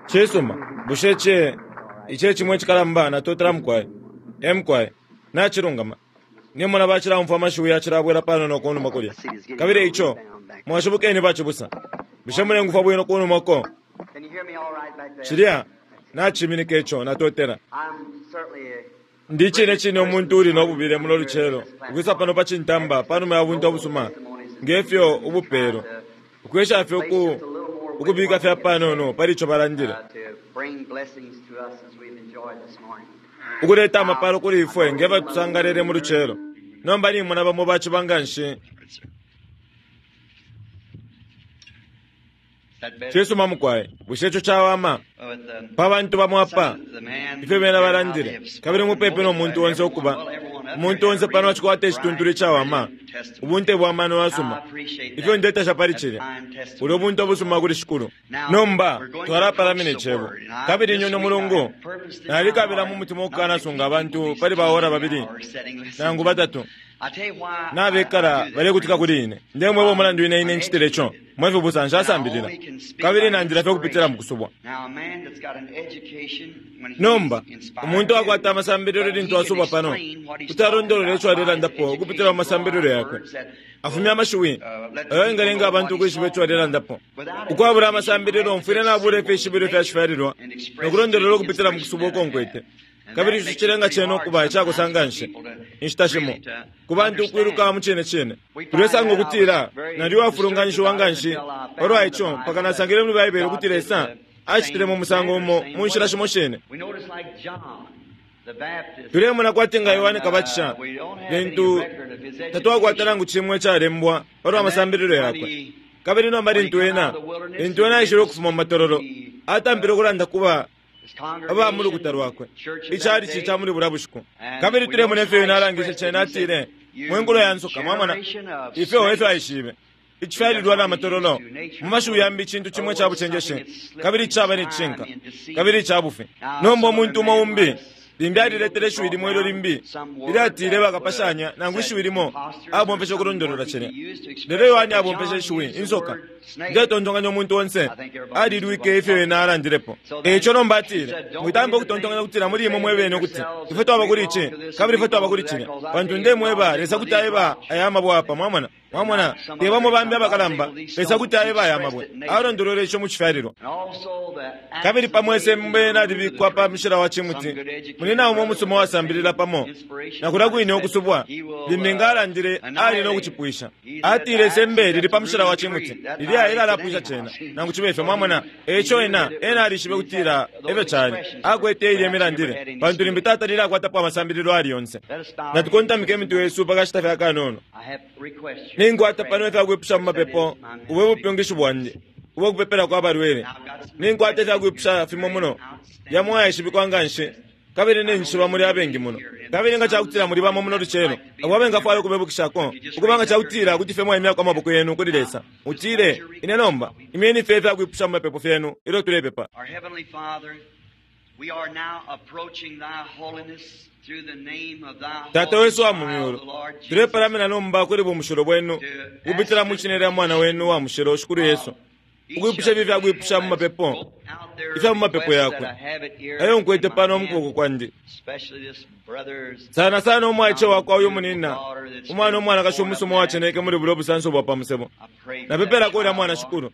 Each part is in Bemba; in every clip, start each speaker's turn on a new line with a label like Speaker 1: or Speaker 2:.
Speaker 1: Cisuma, bushe ici, ici e cimo icikalamba? Natotela, mukwai. E mukwai. Nacilungama. Nimona bacilaumfwa amashiwi yacilabwela panono kunuma kulya. Kabili eico, mwashibukeni bacibusa. Bushe mulengufwa bwino kunuma uko? Cilya naciminika ico. Natotela. Ndi icine cine umuntu uuli no bubile muno lucelo ukwisa pano pa cintamba panuma ya bunte ubusuma nge fyo ubupelwa, ukwesha fye uku, ukubika fye apanono pali ico balandile, ukuleta amapalo kuli ifwe nge fyo tusangalele mu lucelo. Nomba nimona bamo baciba nganshi. Cisuma, mukwai. Bushe ico cawama? Pa bantu bamo apa, ifyo bena balandile, kabili mupepi no muntu onse ukuba, umuntu onse pano acikwata icituntulu icawama, ubunte bwa mano yasuma. Ifyo ndetasha pali cilya! Bulyo bunte ubusuma kuli Shikulu. Nomba, twalapalamina Icebo. Kabili uno mulungu, nalikabila mu mutima ukukanasunga abantu pali ba ora babili nangu batatu. Nabekala balekutika kuli ine. Ndemweba umulandu ine ine ncitile co, mwe fibusa, nshasambilila, kabili nandila fye ukupitila mu kusubwa. Nomba, umuntu akwata amasambililo lintu asubwa pano, kuti alondolola ico alelandapo ukupitila mu masambililo yakwe. Afumya amashiwi ayo ayengalenga abantu ukwishiba ico alelandapo. Ukwabula amasambililo, mfwile nabula ifishibilo fya cifyalilwa no kulondolola ukupitila mu kusubwa uko nkwete. Kabili ici cilenga cene ukuba icakosa nganshi, inshita shimo, ku bantu ukwiluka mu cine cine. Tulesanga ukutila nali uwafulunganishiwa nganshi palwa ico mpaka nasangile muli Baibele ukuti Lesa acitile mu musango umo mu nshila shimo shine. Tulemona kwati nga Yohane Kabatisha, lintu tatwakwata nangu cimo icalembwa palwa masambililo yakwe. Kabili nomba lintu ena, lintu ena aishile ukufuma mu matololo, atampile ukulanda kuba aba mu lukuta lwakwe, ichalichi ca muli bulya bushiku. Kabili tulemona ifyo ena alangishe cena, atile, Mwe nkulo ya nsoka, mwamona, ifyo efyo aishibe. Icifyalilwa na matololo, mu mashiwi yambi, icintu cimo ica bucenjeshi, kabili icaba ne cishinka, kabili ica bufi. Nomba umuntu umo umbi limbi aliletele ishiwi limo ilyo limbi ilyatile bakapashanya nangu ishiwi limo abomfeshe ukulondolola cilya. Lelo Yohane abomfeshe ishiwi insoka. Ndetontonkanya umuntu onse alilwike ifyo ena alandilepo. E ico nomba atile, Mwitampa ukutontonkanya ukutila muli imwe mwe bene ukuti ifwe twaba kuli ici kabili ifwe twaba kuli cilya, pantu ndemweba, Lesa kuti aeba aya mabwe apa. Mwamona? Mwamona? Te bamo bambi abakalamba, Lesa kuti aeba aya mabwe. Alondolwele ico mu cifyalilwa. Kabili pamo isembe nalibikwa pa mushila wa cimuti, munyina umo umusuma uwasambilila pamo na kulya kwine ukusubwa, limbi nga alandile, ali no kucipwisha. Atile, Isembe lili pa mushila wa cimuti, lilya elalapwisha cena, nangu cibe fyo. Mwamona? E ico ena, ena alishibe ukutila efyo cali. Akwete ilye milandile, pantu limbi tatalile akwatapo amasambililo ayali yonse. Natukontamike imitwe yesu pa kashita fye akanono. Ninkwata pano ifya kwipusha mu mapepo, ubu e bupyungishi bwandi ubwa kupepelako abalwele. Ninkwata ifya kwipusha fimo muno, yamo ayaishibikwa nganshi, kabili ninjishiba muli abengi muno. Kabili nga cakutila muli bamo muno lucelo abo abengafwaya ukubebukishako, ukuba nga cakutila kuti fye mwaimyako amaboko yenu kuli Lesa, mutile, Ine nomba, imyeni fye ifya kwipusha mu mapepo fyenu ilyo tulepepa. Tata wesu uwa mu Myulu, tulepalamina nomba kuli bumushilo Bwenu ukupitila mwi Shina lya Mwana Wenu uwa mushilo, Shikulu Yesu, ukwipusha ifi ifyakwipusha mu mapepo, ifya mu mapepo yakwe, ayo nkwete pano mu kuboko kwandi. Sana sana umwaice wakwa uyu munina, umwana umwanakashi umusuma uwaceneke muli bulyo busanso bwa pa musebo. Napepelako ulya mwana, Shikulu.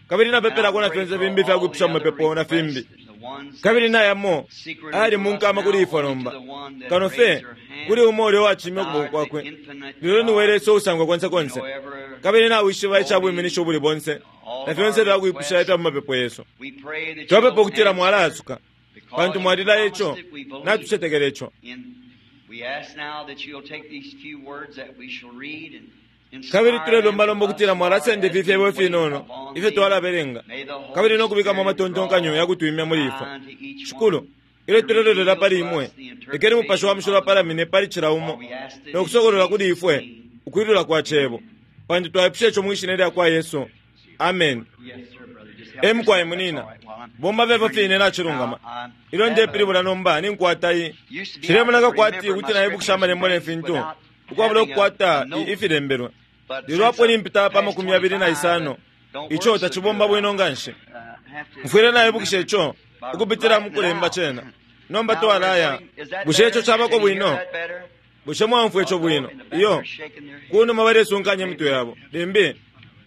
Speaker 1: Kabili napepelako na fyonse fimbi ifyakwipusha mu mapepo na fimbi. Kabili na yamo ayali mu nkama kuli ifwe nomba, kano fye kuli umo ulya uwacimya ukuboko kwakwe. Lelo niwe Lesa uusangwa konse konse, kabili nawishiba ica bwiminishi ubuli bonse na fyonse ifya kwipusha ifya mu mapepo yesu. Twapepa ukutila Mwalaasuka, pantu Mwalilaya ico, natucetekela ico. Kabili tulelomba nomba ukutila Mwalasenda ifi fyebo ifinono ifyo twalabelenga, kabili no kubikamo amatontonkanyo ya kutwimya muli ifwe. Shikulu, ilyo tulelolela pali Imwe, lekeni Mupashi wa Mushilo apalamine pali cila umo no kusokolola kuli ifwe ukwilula kwa Cebo, pantu twaipusha ico mwi Shina lyakwa Yesu. Ameni. E mukwai, munina. Bomba fye ifyo fine nacilungama. Ilyo ndepilibula nomba, ninkwata i. Cilemoneka kwati kuti naibukisha Amalembo ne fintu, ukwabula ukukwata i, ifilembelwe. Lelo apo nimpita pa 25, Ico tacibomba bwino nga nshi. Mfwile naibukisha ico ukupitila mu kulemba cena. Nomba twalaya. Bushe ico cabako bwino? Bushe mwaumfwa ico bwino? Iyo. Kunuma balesunkanya imitwe yabo. Limbi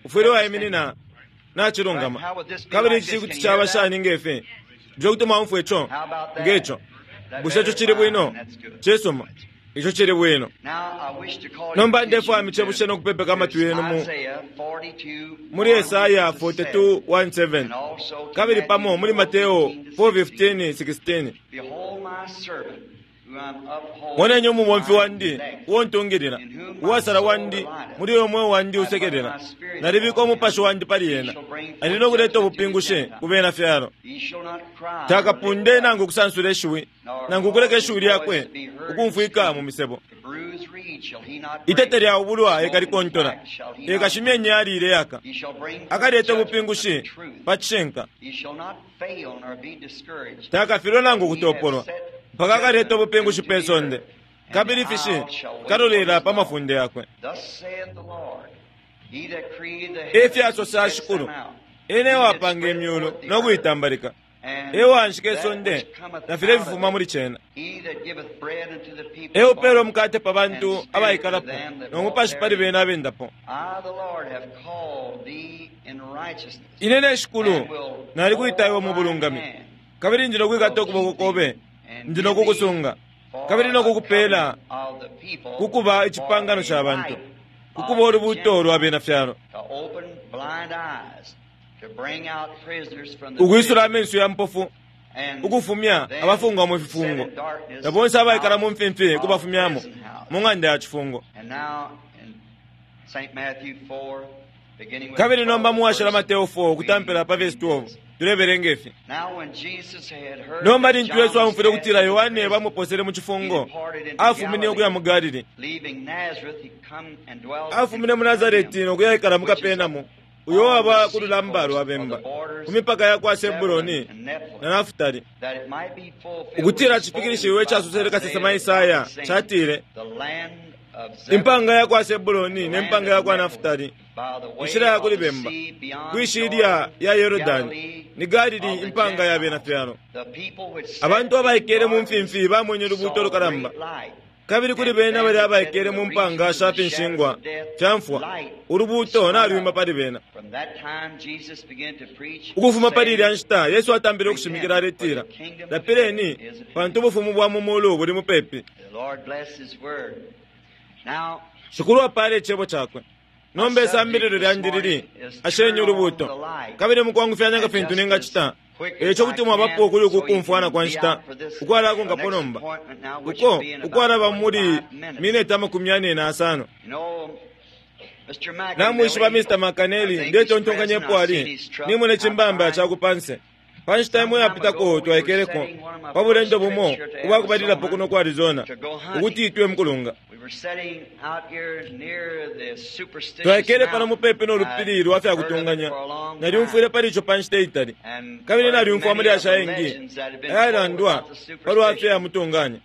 Speaker 1: ufwile waiminina nacilungama. Kabili ici kuti caba shani ngefi? Bushe kuti mwaumfwa ico ngeco? Bushe ico cili bwino? Cisuma. Ico cili bwino. Nomba ndefwaya micebushe no kupepeka amatwi yenu mu muli Esaya 42:1-7 kabili pamo muli Mateo 4:15-16. Moneni umubomfi wandi uo ntungilila, uwasala wandi, muli uyo mweo wandi usekelela. Nalibika umupashi wandi pali ena, ali no kuleta ubupingushi ku bena fyalo. Takapunde nangu kusansula ishiwi, nangu kuleka ishiwi lyakwe ukumfwika mu misebo. Itete lya ubulwa ekalikontola, ekashimya inyali ileyaka. Akaleta ubupingushi pa cishinka. Takafilwe nangu kutopolwa, mpaka akaleta ubupingushi pe sonde, kabili ifishi kalolela pa mafunde yakwe. Efyasosa Shikulu, ena ewapanga imyulu no kuitambalika, ewanshika isonde na filya ififuma muli cena, eupela umukate pa bantu abaikalapo no mupashi pali bena abendapo. Ine ne Shikulu nalikuita iwe mu bulungami, kabili ndi nokwikata ukuboko kobe, ndi nokukusunga, kabili nokukupela kukuba icipangano ca bantu, kukuba ulubuto lwa bena fyalo, ukwisula amenso ya mpofu, ukufumya abafungwa mu fifungo, na bonse abaikala mu mfimfi kubafumyamo mu ng'anda ya cifungo. Kabili nomba muwashila Mateo 4 ukutampila pa vesi 12 tulebelenga ifi. Nomba lintu Yesu aumfwile ukutila Yohane bamuposele mu cifungo, afumine ukuya mu Galili. Afumine mu Nazareti no kuyaikala mu Kapenamu, uyo waba ku lulamba lwa bemba, ku mipaka ya kwa Sebuloni na Nafutali, ukutila cifikilishiwe icasosele kasesema Isaya catile, impanga ya kwa Sebuloni ne mpanga ya kwa Nafutali, inshila ya kuli bemba, kwishilya ya Yorodani, ni Galili impanga ya bena fyalo. Abantu abaikele mu mfimfi bamwenye ulubuuto lukalamba, kabili kuli bena bali abaikele mu mpanga sha finshingwa fya mfwa, ulubuuto nalwima pali bena. Ukufuma pali ilya nshita Yesu atambile ukushimikila aletila, lapileni, pantu ubufumu bwa mu mulu buli mupepi. Shikulu apale icebo cakwe. Nomba isambililo lyandi lili ashenye ulubuuto, kabili mukwangufyanya nga fintu ningacita eco kuti mwabapo kuli uku kumfwana kwa nshita ukwalakonkapo nomba, uko ukwalaba muli mineti 45. Namwishiba Mr. Makaneli, ndetontonkanyepo ali nimone cimbamba cakupanse. Pa nshita imo yapitako twaikeleko pa bulendo bumo ubwakubalilapo kuno ku Arizona ukuti itwe mukulunga. Twaikele pano mupepi no lupili lwa fyakutunganya. Nalyumfwile pali ico pa nshita itali, kabili nalyumfwa amalyashi ayengi ayalandwa palwa fya mutunganya.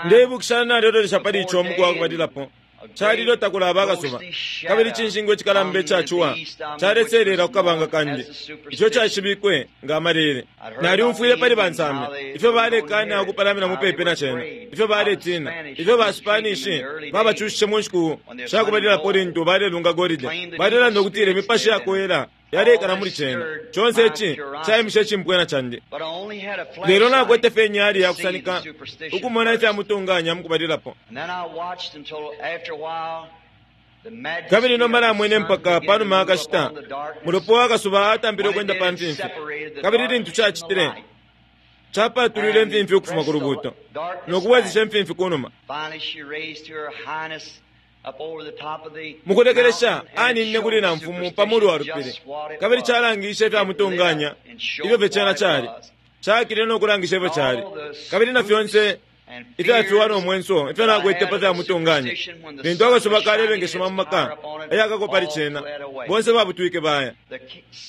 Speaker 1: Ndeibukisha nalilolesha pali ico umuku wakubalilapo. Calilo takulaba akasuba, kabili icinshingwa icikalamba icacuwa caleselela ku kabanga kandi, ico caishibikwe nga amalele. Nalyumfwile pali bansambi ifyo balekana ukupalamina mupepi na cena, ifyo baletina, ifyo ba Spanish babacushishe mu nshiku shakubalilapo lintu balelunga golide. Balelanda ukutila imipashi yakoela yalekala muli cena. Conse ici caimishe icimpwena candi. Lelo nakwete fye inyali yakusanika ukumona ifya mutunganya mukubalilapo. Kabili nomba namwene mpaka panuma akashita mulopo wakasuba atampile ukwenda pa mfimfi, kabili lintu cacitile capatulwile imfimfi ukufuma ku lubuuto no kubwezesha imfimfi kunuma. Mukulekelesha aninine kuli na mfumu pa mulu wa lupili, kabili calangishe ifya mutunganya ifyo fye cena cali. Cakile no kulangisha ifyo cali, kabili na fyonse ifyafiwa no mwenso ifyo nakwete pa fya mutunganya. Lintu akasuba kalebengeshima mu maka ayakako pali cena, bonse babutwike baya.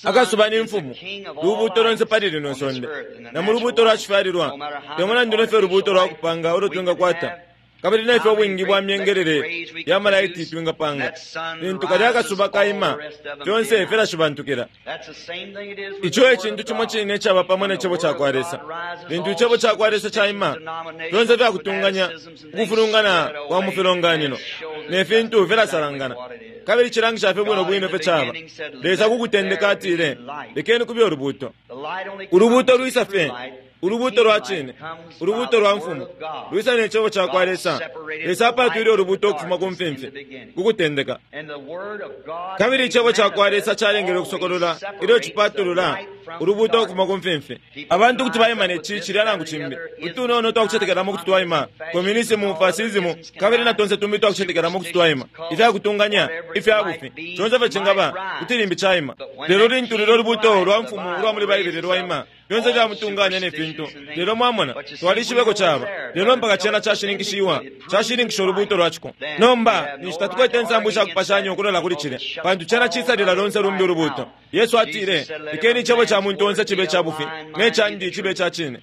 Speaker 1: Akasuba ni mfumu, lubuuto lonse pali lino sonde, na mu lubuuto lwa cifyalilwa, te mulandu ne fyo lubuuto lwa kupanga ulo twingakwata. Kabili nefyo ubwingi bwa myengelele ya malaiti twingapanga, lintu kalya akasuba kaima, fyonse filashibantukila. Ico e cintu cimo cine icaba pamo ne Cebo cakwa Lesa. Lintu Icebo cakwa Lesa caima, fyonse fyakutunganya, ukufulungana kwa mu filonganino ne fintu filasalangana, kabili cilangisha fye bwino bwino ifyo caba. Lesa ku kutendeka atile, Lekeni kube ulubuuto. Ulubuuto lwisa fye, ulubuuto lwa cine, ulubuuto lwa Mfumu, lwisa ne Cebo cakwa Lesa. Lesa apaatwile ulubuuto ukufuma ku mfimfi, ku kutendeka. Kabili Icebo cakwa Lesa calengele ukusokolola ilyo cipatulula ulubuuto ukufuma ku mfimfi. Abantu kuti baima ne ci, cilya nangu cimbi. Utunono twakucetekelamo kuti twaima, komyunisimu, fasisimu, kabili na tonse tumbi twakucetekelamo kuti twaima, ifya kutunganya, ifya bufi, conse fye cingaba, kuti limbi caima. Lelo lintu lulyo lubuuto lwa Mfumu ulwa muli Baibele lwaima, fyonse fya mutunganya ne fintu. Lelo mwamona, twalishiba eko caba, lelo mpaka cena cashininkishiwa, cashininkisha ulubuuto lwa ciko. Nomba ninshi tatukwete insambu sha kupashanya ukulola kuli cilya, pantu cena cisalila lonse lumbi ulubuuto. Yesu atile, Lekeni icebo ca muntu onse cibe ica bufi, ne candi cibe ica cine.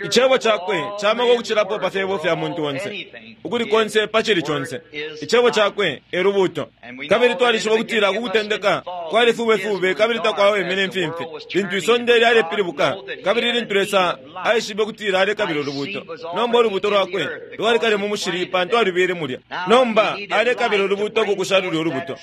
Speaker 1: Icebo cakwe camaka ukucilapo pa fyebo fya muntu onse, ukuli konse pa cili conse. Icebo cakwe e lubuuto. Kabili twalishiba ukutila ku kutendeka kwali fubefube kabili takwaweme imfimfi, lintu isonde lyalepilibuka, kabili lintu Lesa aishibe ukutila alekabila ulubuuto. Nomba ulubuuto lwakwe lwali kale mu mushili pantu alubile mulya. Nomba alekabila ulubuuto ku kusha lulya ulubuto,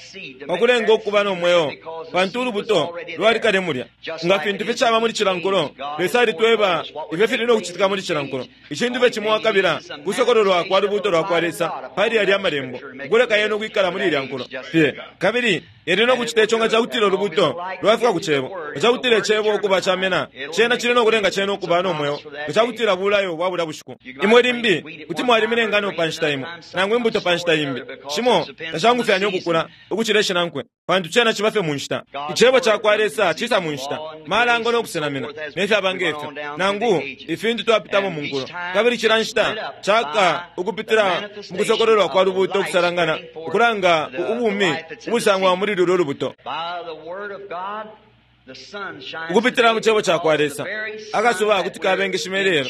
Speaker 1: pa kulenga ukuba no mweo, pantu ulubuto lwali kale mulya. Nga fintu fye caba muli cila nkulo, Lesa alitweba ifyo fili no kucitika muli cila nkulo. Icintu fye cimo akabila kusokololwa kwa lubuuto lwa kwa Lesa pali yalya Amalembo, ukuleka yena ukwikala muli ilya nkulo fye. Kabili yali no kucita ico nga cakutila ulubuuto lwafika ku Cebo. Nga cakutila Icebo ukuba camena, cena cili no kulenga cena ukuba no mweo, nga cakutila bulayo bwa bulya bushiku. Imwe limbi kuti mwalimina ingano pa nshita imo, nangu imbuto pa nshita imbi. Shimo tashangufyanya ukukula ukucila ishinankwe, pantu cena ciba fye mu nshita. Icebo cakwa Lesa cisa mu nshita, malango no kusenamina, ne fyaba nge fyo, nangu ifintu twapitamo mu nkulo. Kabili cila nshita caka ukupitila mu kusokololwa kwa lubuuto ukusalangana, ukulanga ubumi ubusangwa muli lulyo lubuto. Ukupitila mu Cebo cakwa Lesa, akasuba kuti kabengeshima ilelo,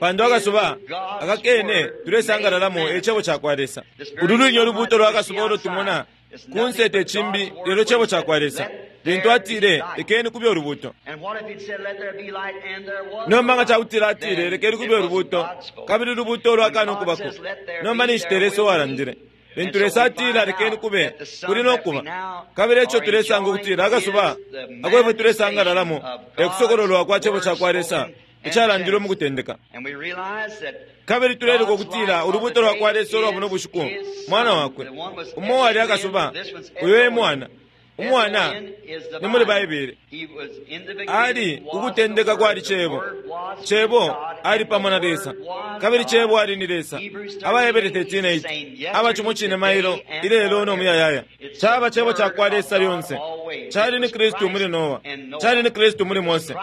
Speaker 1: pantu akasuba akakene tulesangalalamo e Cebo cakwa Lesa. Ulu lwine ulubuuto lwa kasuba ulo tumona kunse te cimbi lelo Cebo cakwa Lesa. Lintu atile, Lekeni kube ulubuuto. Nomba nga cakutila atile, Lekeni kube ulubuuto, kabili ulubuuto lwakana ukubako, nomba ninshi te Lesa uwalandile. Lintu Lesa atila, Lekeni kube, kuli no kuba. Kabili eco tulesanga ukutila akasuba ako ifwe tulesangalalamo e kusokololwa kwa Cebo cakwa Lesa icalandilwe mu kutendeka. Kabili tuleluka ukutila ulubuuto lwa kwa Lesa ulwa buno bushiku Mwana wakwe. Umo uwali akasuba, uyo e Mwana. Umwana ni muli Baibele. Ali ukutendeka kwali Cebo. Cebo ali pamo na Lesa. Kabili Cebo ali ni Lesa. AbaHebere 13:8. Aba cimo cine mailo, ilelo no muyayaya. Caba Cebo cakwa Lesa lyonse. Cali ni Kristu muli Noa. Cali ni Kristu muli Mose.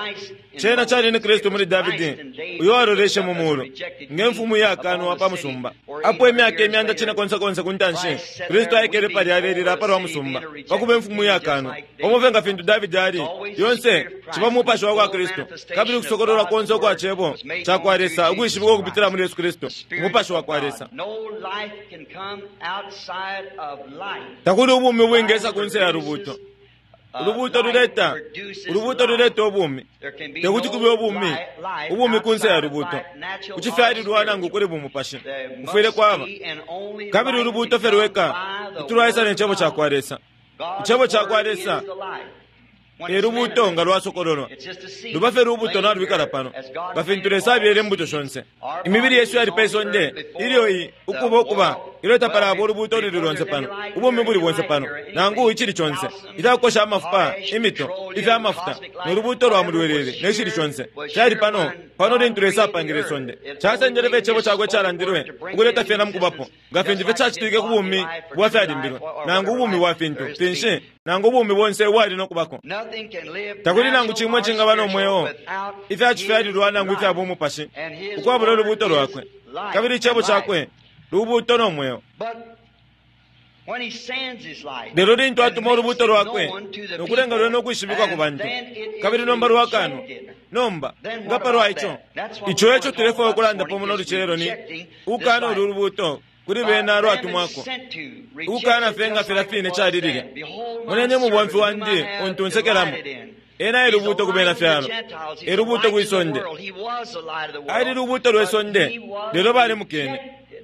Speaker 1: Cena cali ni Kristu muli Davidi, uyo waloleshe mu mulu nge mfumu iyakanwa pa musumba. Apo imyaka imyanda cine konse konse ku ntanshi, Kristu aikele palya alelila palwa musumba, pa kuba imfumu iyakanwa. Pamo fye nga fintu Davidi ali, lyonse ciba Mupashi wa kwa Kristu, kabili ukusokololwa konse ukwa Cebo cakwa Lesa ukwishibikwa ukupitila muli Yesu Kristu, Umupashi wa kwa Lesa. Takuli ubumi ubwingesa kunse ya lubuuto. Ulubuuto luleta, ulubuuto luleta ubumi. Tekuti kube ubumi, ubumi kunse ya lubuuto. Kucifyalilwa nangu kuli bumupashi, kufwile kwaba. Kabili ulubuuto fye lweka kuti lwaisa ne Cebo cakwa Lesa. Icebo cakwa Lesa e lubuuto nga lwasokololwa. Luba fye lubuto nalwikala pano, nga fintu Lesa abyele imbuto shonse. Imibili yesu yali pe sonde ilyo i ukuba ukuba ilyo tapalaba ulubuuto ululi lonse pano, ubumi buli bonse pano, nangu icili conse, ifyakukosha amafupa, imito, ifya mafuta, no lubuuto lwa mulwelele, ne cili conse cali pano pano lintu Lesa apangile isonde. Casendele fye Icebo cakwe icalandilwe ukuleta fyena mu kubapo, nga fintu fye cacitike ku bumi bwa fyalimbilwe, nangu ubumi bwa fintu finshi, nangu ubumi bonse ubwali no kubako. Takuli nangu cimo icingaba no mweo, ifya cifyalilwa nangu ifya bumupashi, ukwabula ulubuuto lwakwe. Kabili Icebo cakwe lubuuto no mweo. Lelo lintu atuma ulubuuto lwakwe no kulenga lwene ukwishibikwa ku bantu, kabili nomba lwakanwa. Nomba, nga palwa ico? Ico eco tulefwaya ukulandapo muno lucelo ni, ukukana ulu lubuuto kuli bena lwatumwako, ukukana fye nga filya fine cali lilya. Moneni umubomfi wandi untu nsekelamo. Ena e lubuuto ku bena fyalo, e lubuuto kwi sonde. Ali lubuuto lwe sonde, lelo balimukene.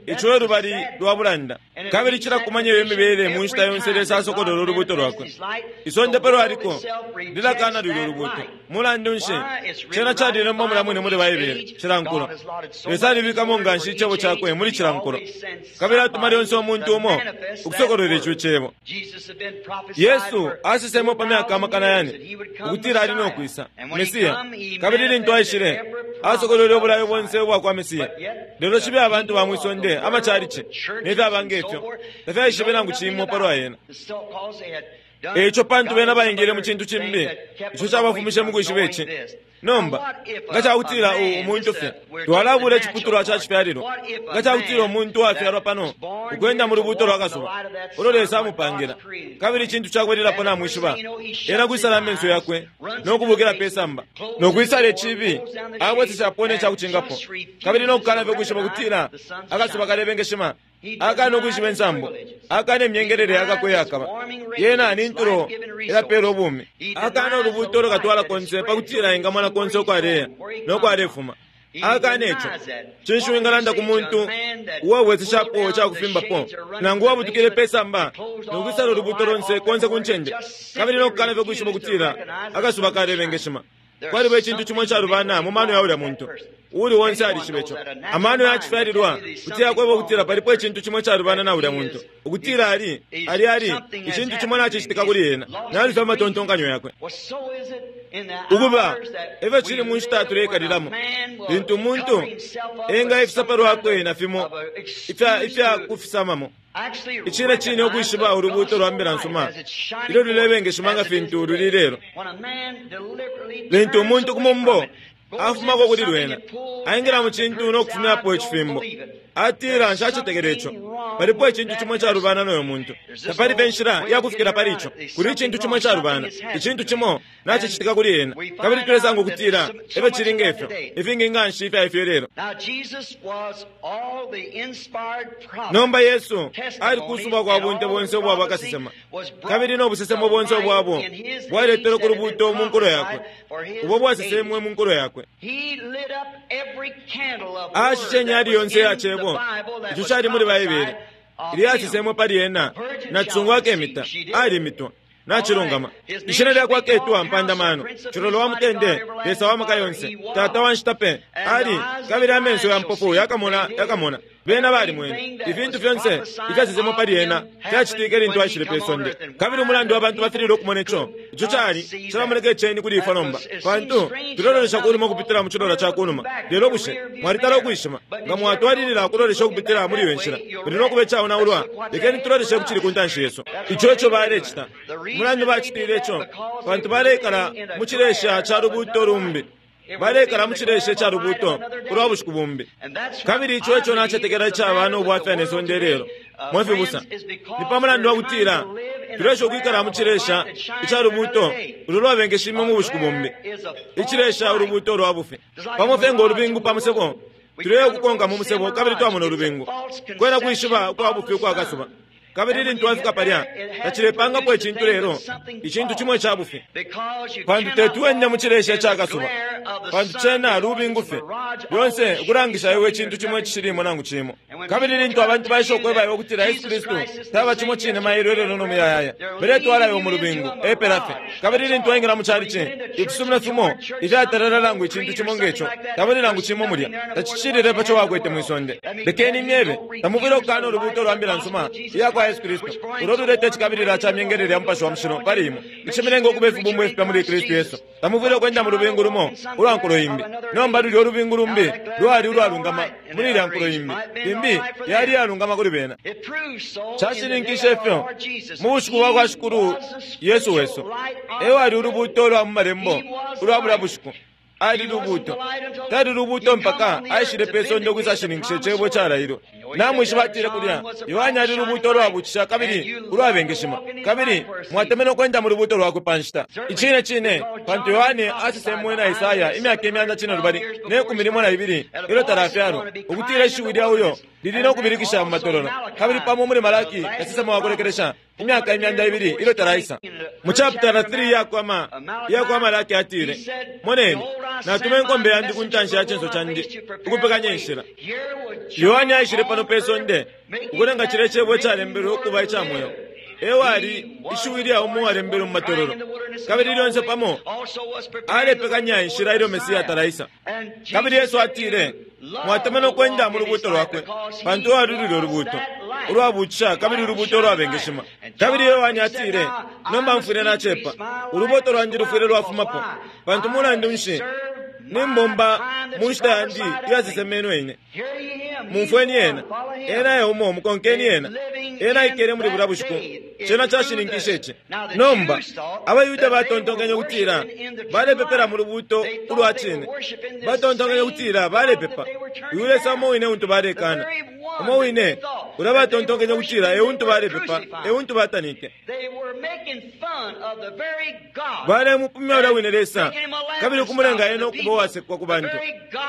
Speaker 1: Ico e lubali lwa bulanda. Kabili cilakumanya iyo mibele mu nshita yonse Lesa asokolola ulubuuto lwakwe. Isonde pa lwaliko lilakaana lulyo lubuuto. Mulandu nshi? Cena calilembwa mulya mwine muli Baibele, cila nkulo. Lesa alibikamo nga nshi Icebo Cakwe muli cila nkulo. Kabili atuma lyonse umuntu umo ukusokolola ico Cebo. Yesu asesemo pa myaka amakana yane ukutila ali no kwisa, Mesia. Kabili lintu aishile, asokolwele ubulayo bonse ubwa kwa Mesia. Lelo cibe abantu ba mwi sonde, amacalici, ne fyaba nge fyo, tafyaishibe nangu cimo palwa ena. E ico pantu bena baingile mu cintu cimbi ico cabafumishe mu kwishiba ici. Nomba, nga ca kutila u, umuntu fye, twalabula iciputulwa ca cifyalilwa, nga ca kutila umuntu uwafyalwa pano ukwenda mu lubuuto lwa kasuba ulo Lesa amupangila, kabili icintu ca kubalilapo namwishiba, ena kwisala amenso yakwe no kubukila pe samba, no kwisala icibi, abweseshapo ne ca kucingapo, kabili no kukana fye ukwishiba ukutila akasuba kalebengeshima, akana ukwishiba insambu, akana imyengelele yakakwe yakaba, yena ni ntulo ilapeela ubumi, akana ulubuuto ulukatwala konse pa kutila engamona konse uko aleya no ko alefuma. Akana ico. Cinshi wingalanda ku muntu uwabweseshapo ica kufimbapo, nangu uwabutukile pe samba no kwisala ulubuuto lonse konse ku ncende, kabili no kukana fye ukwishiba ukutila akasuba kalebengeshima? Kwaliba icintu cimo icalubana mu mano ya ulya muntu. Uuli onse alishiba ico. Amano ya cifyalilwa kuti yakweba ukutila palipo icintu cimo icalubana na ulya muntu, ukutila ali, ali, ali, icintu cimo nacicitika kuli ena, nalufya amatontonkanyo yakwe. Ukuba, e fyo cili mu nshita tuleikalilamo, lintu umuntu engaifisa pa lwakwe na fimo ifya, ifya kufisamamo. Icine cine ukwishiba ulubuuto lwa mbila nsuma ilyo lulebengeshima nga fintu luli ilelo. Lintu umuntu ku mumbo afumako kuli lwena, aingila mu cintu no kufumyapo icifimbo, atila, Nshacetekela ico. Palipo icintu cimo icalubana no yo muntu. Tapali pe nshila ya kufikila pali ico. Kuli icintu cimo icalubana. Icintu cimo nacicitika kuli ena. Kabili tulesanga ukutila e fyo cili nge fyo, ifingi nga nshi ifya ifyo ilelo. Nomba Yesu ali kusubwa kwa bunte bonse ubwa bakasesema, kabili no busesemo bonse ubwabo bwaletelwe ku lubuuto mu nkulo yakwe, ubo bwasesemwe mu nkulo yakwe. Aashishe inyali yonse iya Cebo ico cali muli Baibele, ilyo yasesemwe pali ena, na cisungu akemita, alimitwa. Nacilungama. Ishina lyakwe aketwa Mpanda Mano, Cilolo wa Mutende, Lesa wa Maka Yonse, Tata wa Nshita Pe. Ali, kabili amenso ya mpofu yakamona, yakamona. Bena balimwene. Ifintu fyonse ifyasesemwe pali ena fyacitike lintu aishile pe sonde. Kabili umulandu abantu bafililwe ukumona ico, ico cali, calamoneka iceni kuli ifwe nomba, pantu tulelolesha ku numa ukupitila mu cilola ca ku numa. Lelo bushe mwalitala ukwishima? Nga mwatwalilila ukulolesha ukupitila muli iyo nshila, muli no kuba icaonaulwa. Lekeni tuloleshe ku cili ku ntanshi yesu. Ico eco balecita. Umulandu bacitiile ico, pantu baleikala mu cilesha ca lubuuto lumbi. Baleikala mu cilesha ica lubuuto ulwa bushiku bumbi. Kabili ico eco nacetekela icaba no bwafya ne sonde ilelo, mwe fibusa. Ni pa mulandu wa kutila tulesha ukwikala mu cilesha ica lubuuto ulo lwabengeshime mu bushiku bumbi. Icilesha ulubuuto lwa bufi. Pamo fye ngo lubingu pa musebo, tuleya ukukonka mu musebo kabili twamona ulubingu. Kwena kwishiba ukwa bufi ukwa kasuba. Kabili lintu wafika palya, tacilepangapo icintu lelo icintu cimo ica bufi. Pantu teti wende mu cilesha ica kasuba, pantu cena lubingu fye, lyonse ukulangisha iwe icintu cimo icishilimo nangu cimo. Kabili lintu abantu baisha ukweba iwe ukutila Yesu Kristu taba cimo cine mailo ilelo no muyayaya, baletwala iwe mu lubingu, epela fye. Kabili lintu waingila mu chalichi, ifisumino fimo ifyatalala nangu icintu cimo nge co, tabuli nangu cimo mulya, tacicilile pa co wakwete mwi sonde. Lekeni imyebe, tamufwile ukukana ulubuuto lwa mbila nsuma iya kwa Yesu Kristu, ulo luleta icikabilila ca myengelele ya Mupashi wa Mushilo pali imwe, icimilenga ukuba ifibumbwa ifipya muli Kristu Yesu. Tamufwile ukwenda mu lubingu lumo ulwa nkulo imbi. Nomba lulya ulubingu lumbi lwali ulwalungama muli ilya nkulo imbi, limbi yali iyalungama kuli bena. Cashininkishe fyo mu bushiku bwa kwa Shikulu Yesu wesu, e wali ulubuuto lwa mu Malembo ulwa bulya bushiku. Ali lubuuto. Tali lubuuto mpaka aishile pe sonde ukwisashininkisha icebo icalailwe. Namwishiba atile kulya, Yohane ali lubuuto ulwabuutisha kabili ulwabengeshima, kabili mwatemenwe ukwenda mu lubuuto lwakwe pa nshita. Icine cine, pantu Yohane asesemwe na Esaya imyaka imyanda cinelubali ne kumi limo na ibili ilyo talafyalwa, ukutila ishiwi lya uyo lili no kubilikisha mu matololo, kabili pamo muli Malaki kasesema wa kulekelesha imyaka imyanda ibili ilyo talaisa. Mu chaputala 3 ya kwa Malaki atile, Moneni, natuma inkombe yandi ku ntanshi ya cinso candi ukupekanya inshila. Yohane aishile pano pe sonde ukulenga cilya cebo icalembelwe ukuba ica mweo. E wali ishiwi lya umo uwalembelwe mu matololo, kabili lyonse pamo alepekanya inshila ilyo Mesia talaisa. Kabili Yesu atile, Mwatemenwe ukwenda mu lubuuto lwakwe, pantu lwali lulyo lubuuto ulwabuutisha kabili ulubuuto ulwabengeshima. Kabili Yohane atile, Nomba mfwile nacepa, ulubuuto lwandi lufwile lwafumapo, pantu mulandu nshi nimbomba mu nshita yandi iyasesemenwe ine. Mumfweni ena. Ena e umo, mukonkeni ena. Ena aikele muli bulya bushiku. Cena cashininkishe ici. Nomba, abaYuda batontonkenye ukutila balepepela mu lubuuto ulwa cine. Batontonkenye ukutila balepepa uyu Lesa umo wine untu balekana. Umo wine ulya batontonkenye ukutila e untu balepepa, e untu batanike. Balemupumya ulya wine Lesa, kabili ukumulenga ena ukuba uwasekwa ku bantu.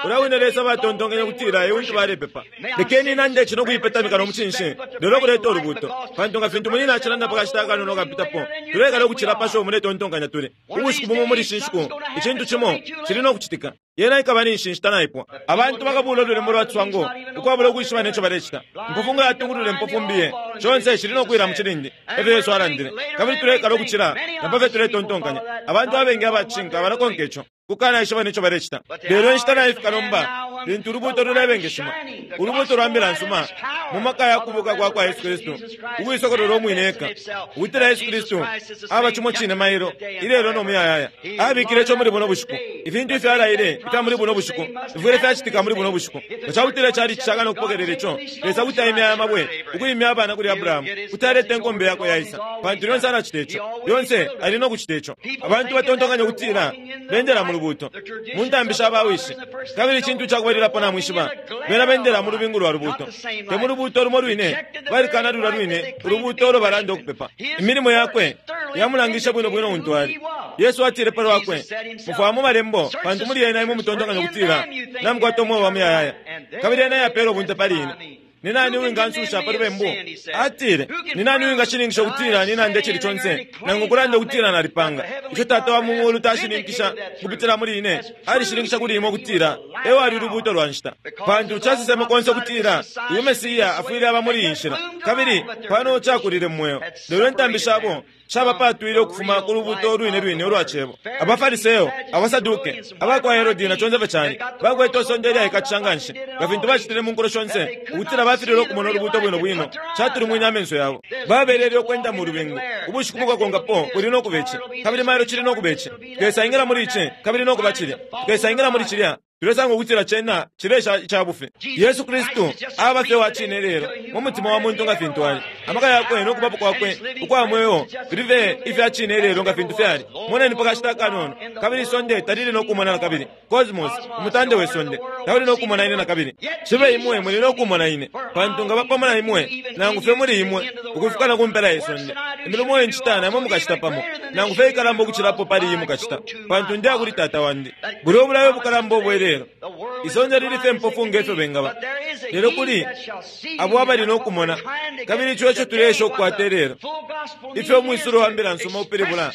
Speaker 1: Ulya wine Lesa batontonkenye ukutila e untu balepepa. Lekeni nande ici no kuipetamika no mucinshi, lelo kuleta ulubuuto. Pantu nga fintu munyina acilanda pa kashita akanono akapitapo, tulekala ukucila pa sho muletontonkanya tuli. Ubushiku bumo muli ishi nshiku, icintu cimo cili no kucitika. Yena ikaba ni nshi nshita naipwa. Abantu bakabuula ululembo lwa ciswango ukwabula ukwishiba ne co balecita. Impofu nga yatungulula impofu mbiye, conse cili no kuwila mu cilindi, e fyo Yesu alandile. Kabili tulekala ukucila na pa fyo tuletontonkanya. Abantu abengi aba cishinka balakonka ico, kukanaishiba ne co balecita. Lelo inshita naifika nomba lintu ulubuuto lulebengeshima, ulubuuto lwa mbila nsuma, mu maka ya kubuuka kwa kwa Yesu Kristu, ukuisokolola umwine eka, ukutila Yesu Kristu aba cimo cine mailo, ilelo no muyayaya. Abikile ico muli buno bushiku. Ifintu ifyo alaile ifya muli buno bushiku fifwile fyacitika muli buno bushiku. Nga ca kutila icali cishaka no kupokelela ico, Lesa kuti aimya aya mabwe, ukwimya abana kuli Abrahamu, kuti aleta inkombe yakwe yaisa. Pantu lyonse alacita ico. Lyonse ali no kucita ico. Abantu batontonkanya ukutila bendela mu lubuuto, mu ntambi sha bawishi, kabili icintu ca kubalilapo namwishiba, bena bendela mu lubingu lwa lubuuto, te mu lubuuto lumo lwine, balikana lulya lwine ulubuuto ulo balanda ukupepa. Imilimo yakwe yamulangishe bwino bwino untu ali. Yesu atile pa lwakwe, Mufwaya mu malembo, pantu muli yena imwe mutontonkanya ukutila namukwata umweo wa muyayaya, kabili yena yapeela ubunte pali ine. Ni nani uwingansusha pa lubembu? Atile, Ni nani uwingashininkisha ukutila ninanda icili conse, nangu ukulanda ukutila nalipanga? Ico Tata wa mu muulu tashininkisha ukupitila muli ine, alishininkisha kuli imwe ukutila e wali ulubuuto lwa nshita. Pantu caseseme konse ukutila uyu Mesia afwile aba muli iyi nshila, kabili pano cakulile mu mweo. Lelo intambi shabo shabapaatwile ukufuma ku lubuuto lwine lwine ulwa Cebo. AbaFariseo, abaSaduke, aba kwa Herode na conse fye cali, bakwete isonde ilyaikatisha nga nshi, nga fintu bacitile mu nkulo shonse, ukutila bafililwe ukumona ulubuuto bwino bwino. Catulumwine amenso yabo. Babelele ukwenda mu lubingu. Ubushiku bukakonkapo buli no kuba ici, kabili mailo cili no kuba ici. Tukesaingila muli ici, kabili no kuba cilya. Tukesaingila muli cilya. Tulesanga ukutila cena cilesha ica bufi. Yesu Kristu aba fye wa cine ilelo mu mutima wa muntu nga fintu ali. Amaka yakwe no kubapo kwakwe ukwa mweo fili fye ifya cine ilelo nga fintu fyali. Moneni pa kashita akanono, kabili isonde talili no kumona na kabili. Kosmos, umutande we sonde, tauli no kumona ine na kabili. Cibe imwe muli no kumona ine, pantu nkaba pamo na imwe, nangu fye muli imwe, ukufika na ku mpela ye sonde. Imilimo iyo ncita na imwe mukacita pamo, nangu fye ikalamba ukucilapo pali iyi mukacita, pantu ndeya kuli Tata wandi. Bulya ubulayo bukalamba ubwe lelo. Isonde lili fye mpofu nge fyo bengaba. Lelo kuli abo abali no kumona, kabili ico eco tuleesha ukukwata ilelo. Ifyo umwisulo wa mbila nsuma upilibula,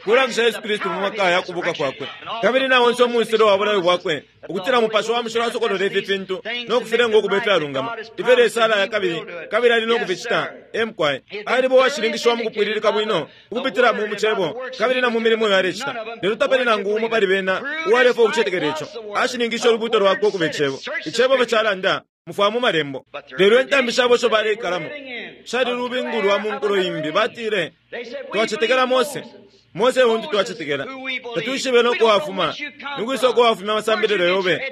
Speaker 1: kulangisha Yesu Kristu mu maka ya kubuka kwakwe. Kabili na onse umwisulo wa bulayo bwakwe, ukutila Mupashi wa Mushilo asokolola ifi fintu no kufilenga ukuba ifyalungama. Ifyo Lesa alaya kabili, kabili ali no kuficita. E mukwai. Aliba uwashininkishiwa mu kupwililika bwino, ukupitila mu Cebo kabili na mu milimo iyo alecita. Lelo tapali nangu umo pali bena uwalefwaya ukucetekela ico. Ashininkishe ulubuuto lwakwe ukuba Icebo. Icebo fye calanda, mufwaya mu Malembo. Lelo intambi shabo isho baleikalamo shali lubingu lwa mu nkulo imbi. Batile, Twacetekela Mose. Mose untu twacetekela. Tatwishibe no ko wafuma. Nikwisa uko wafumya amasambililo yobe?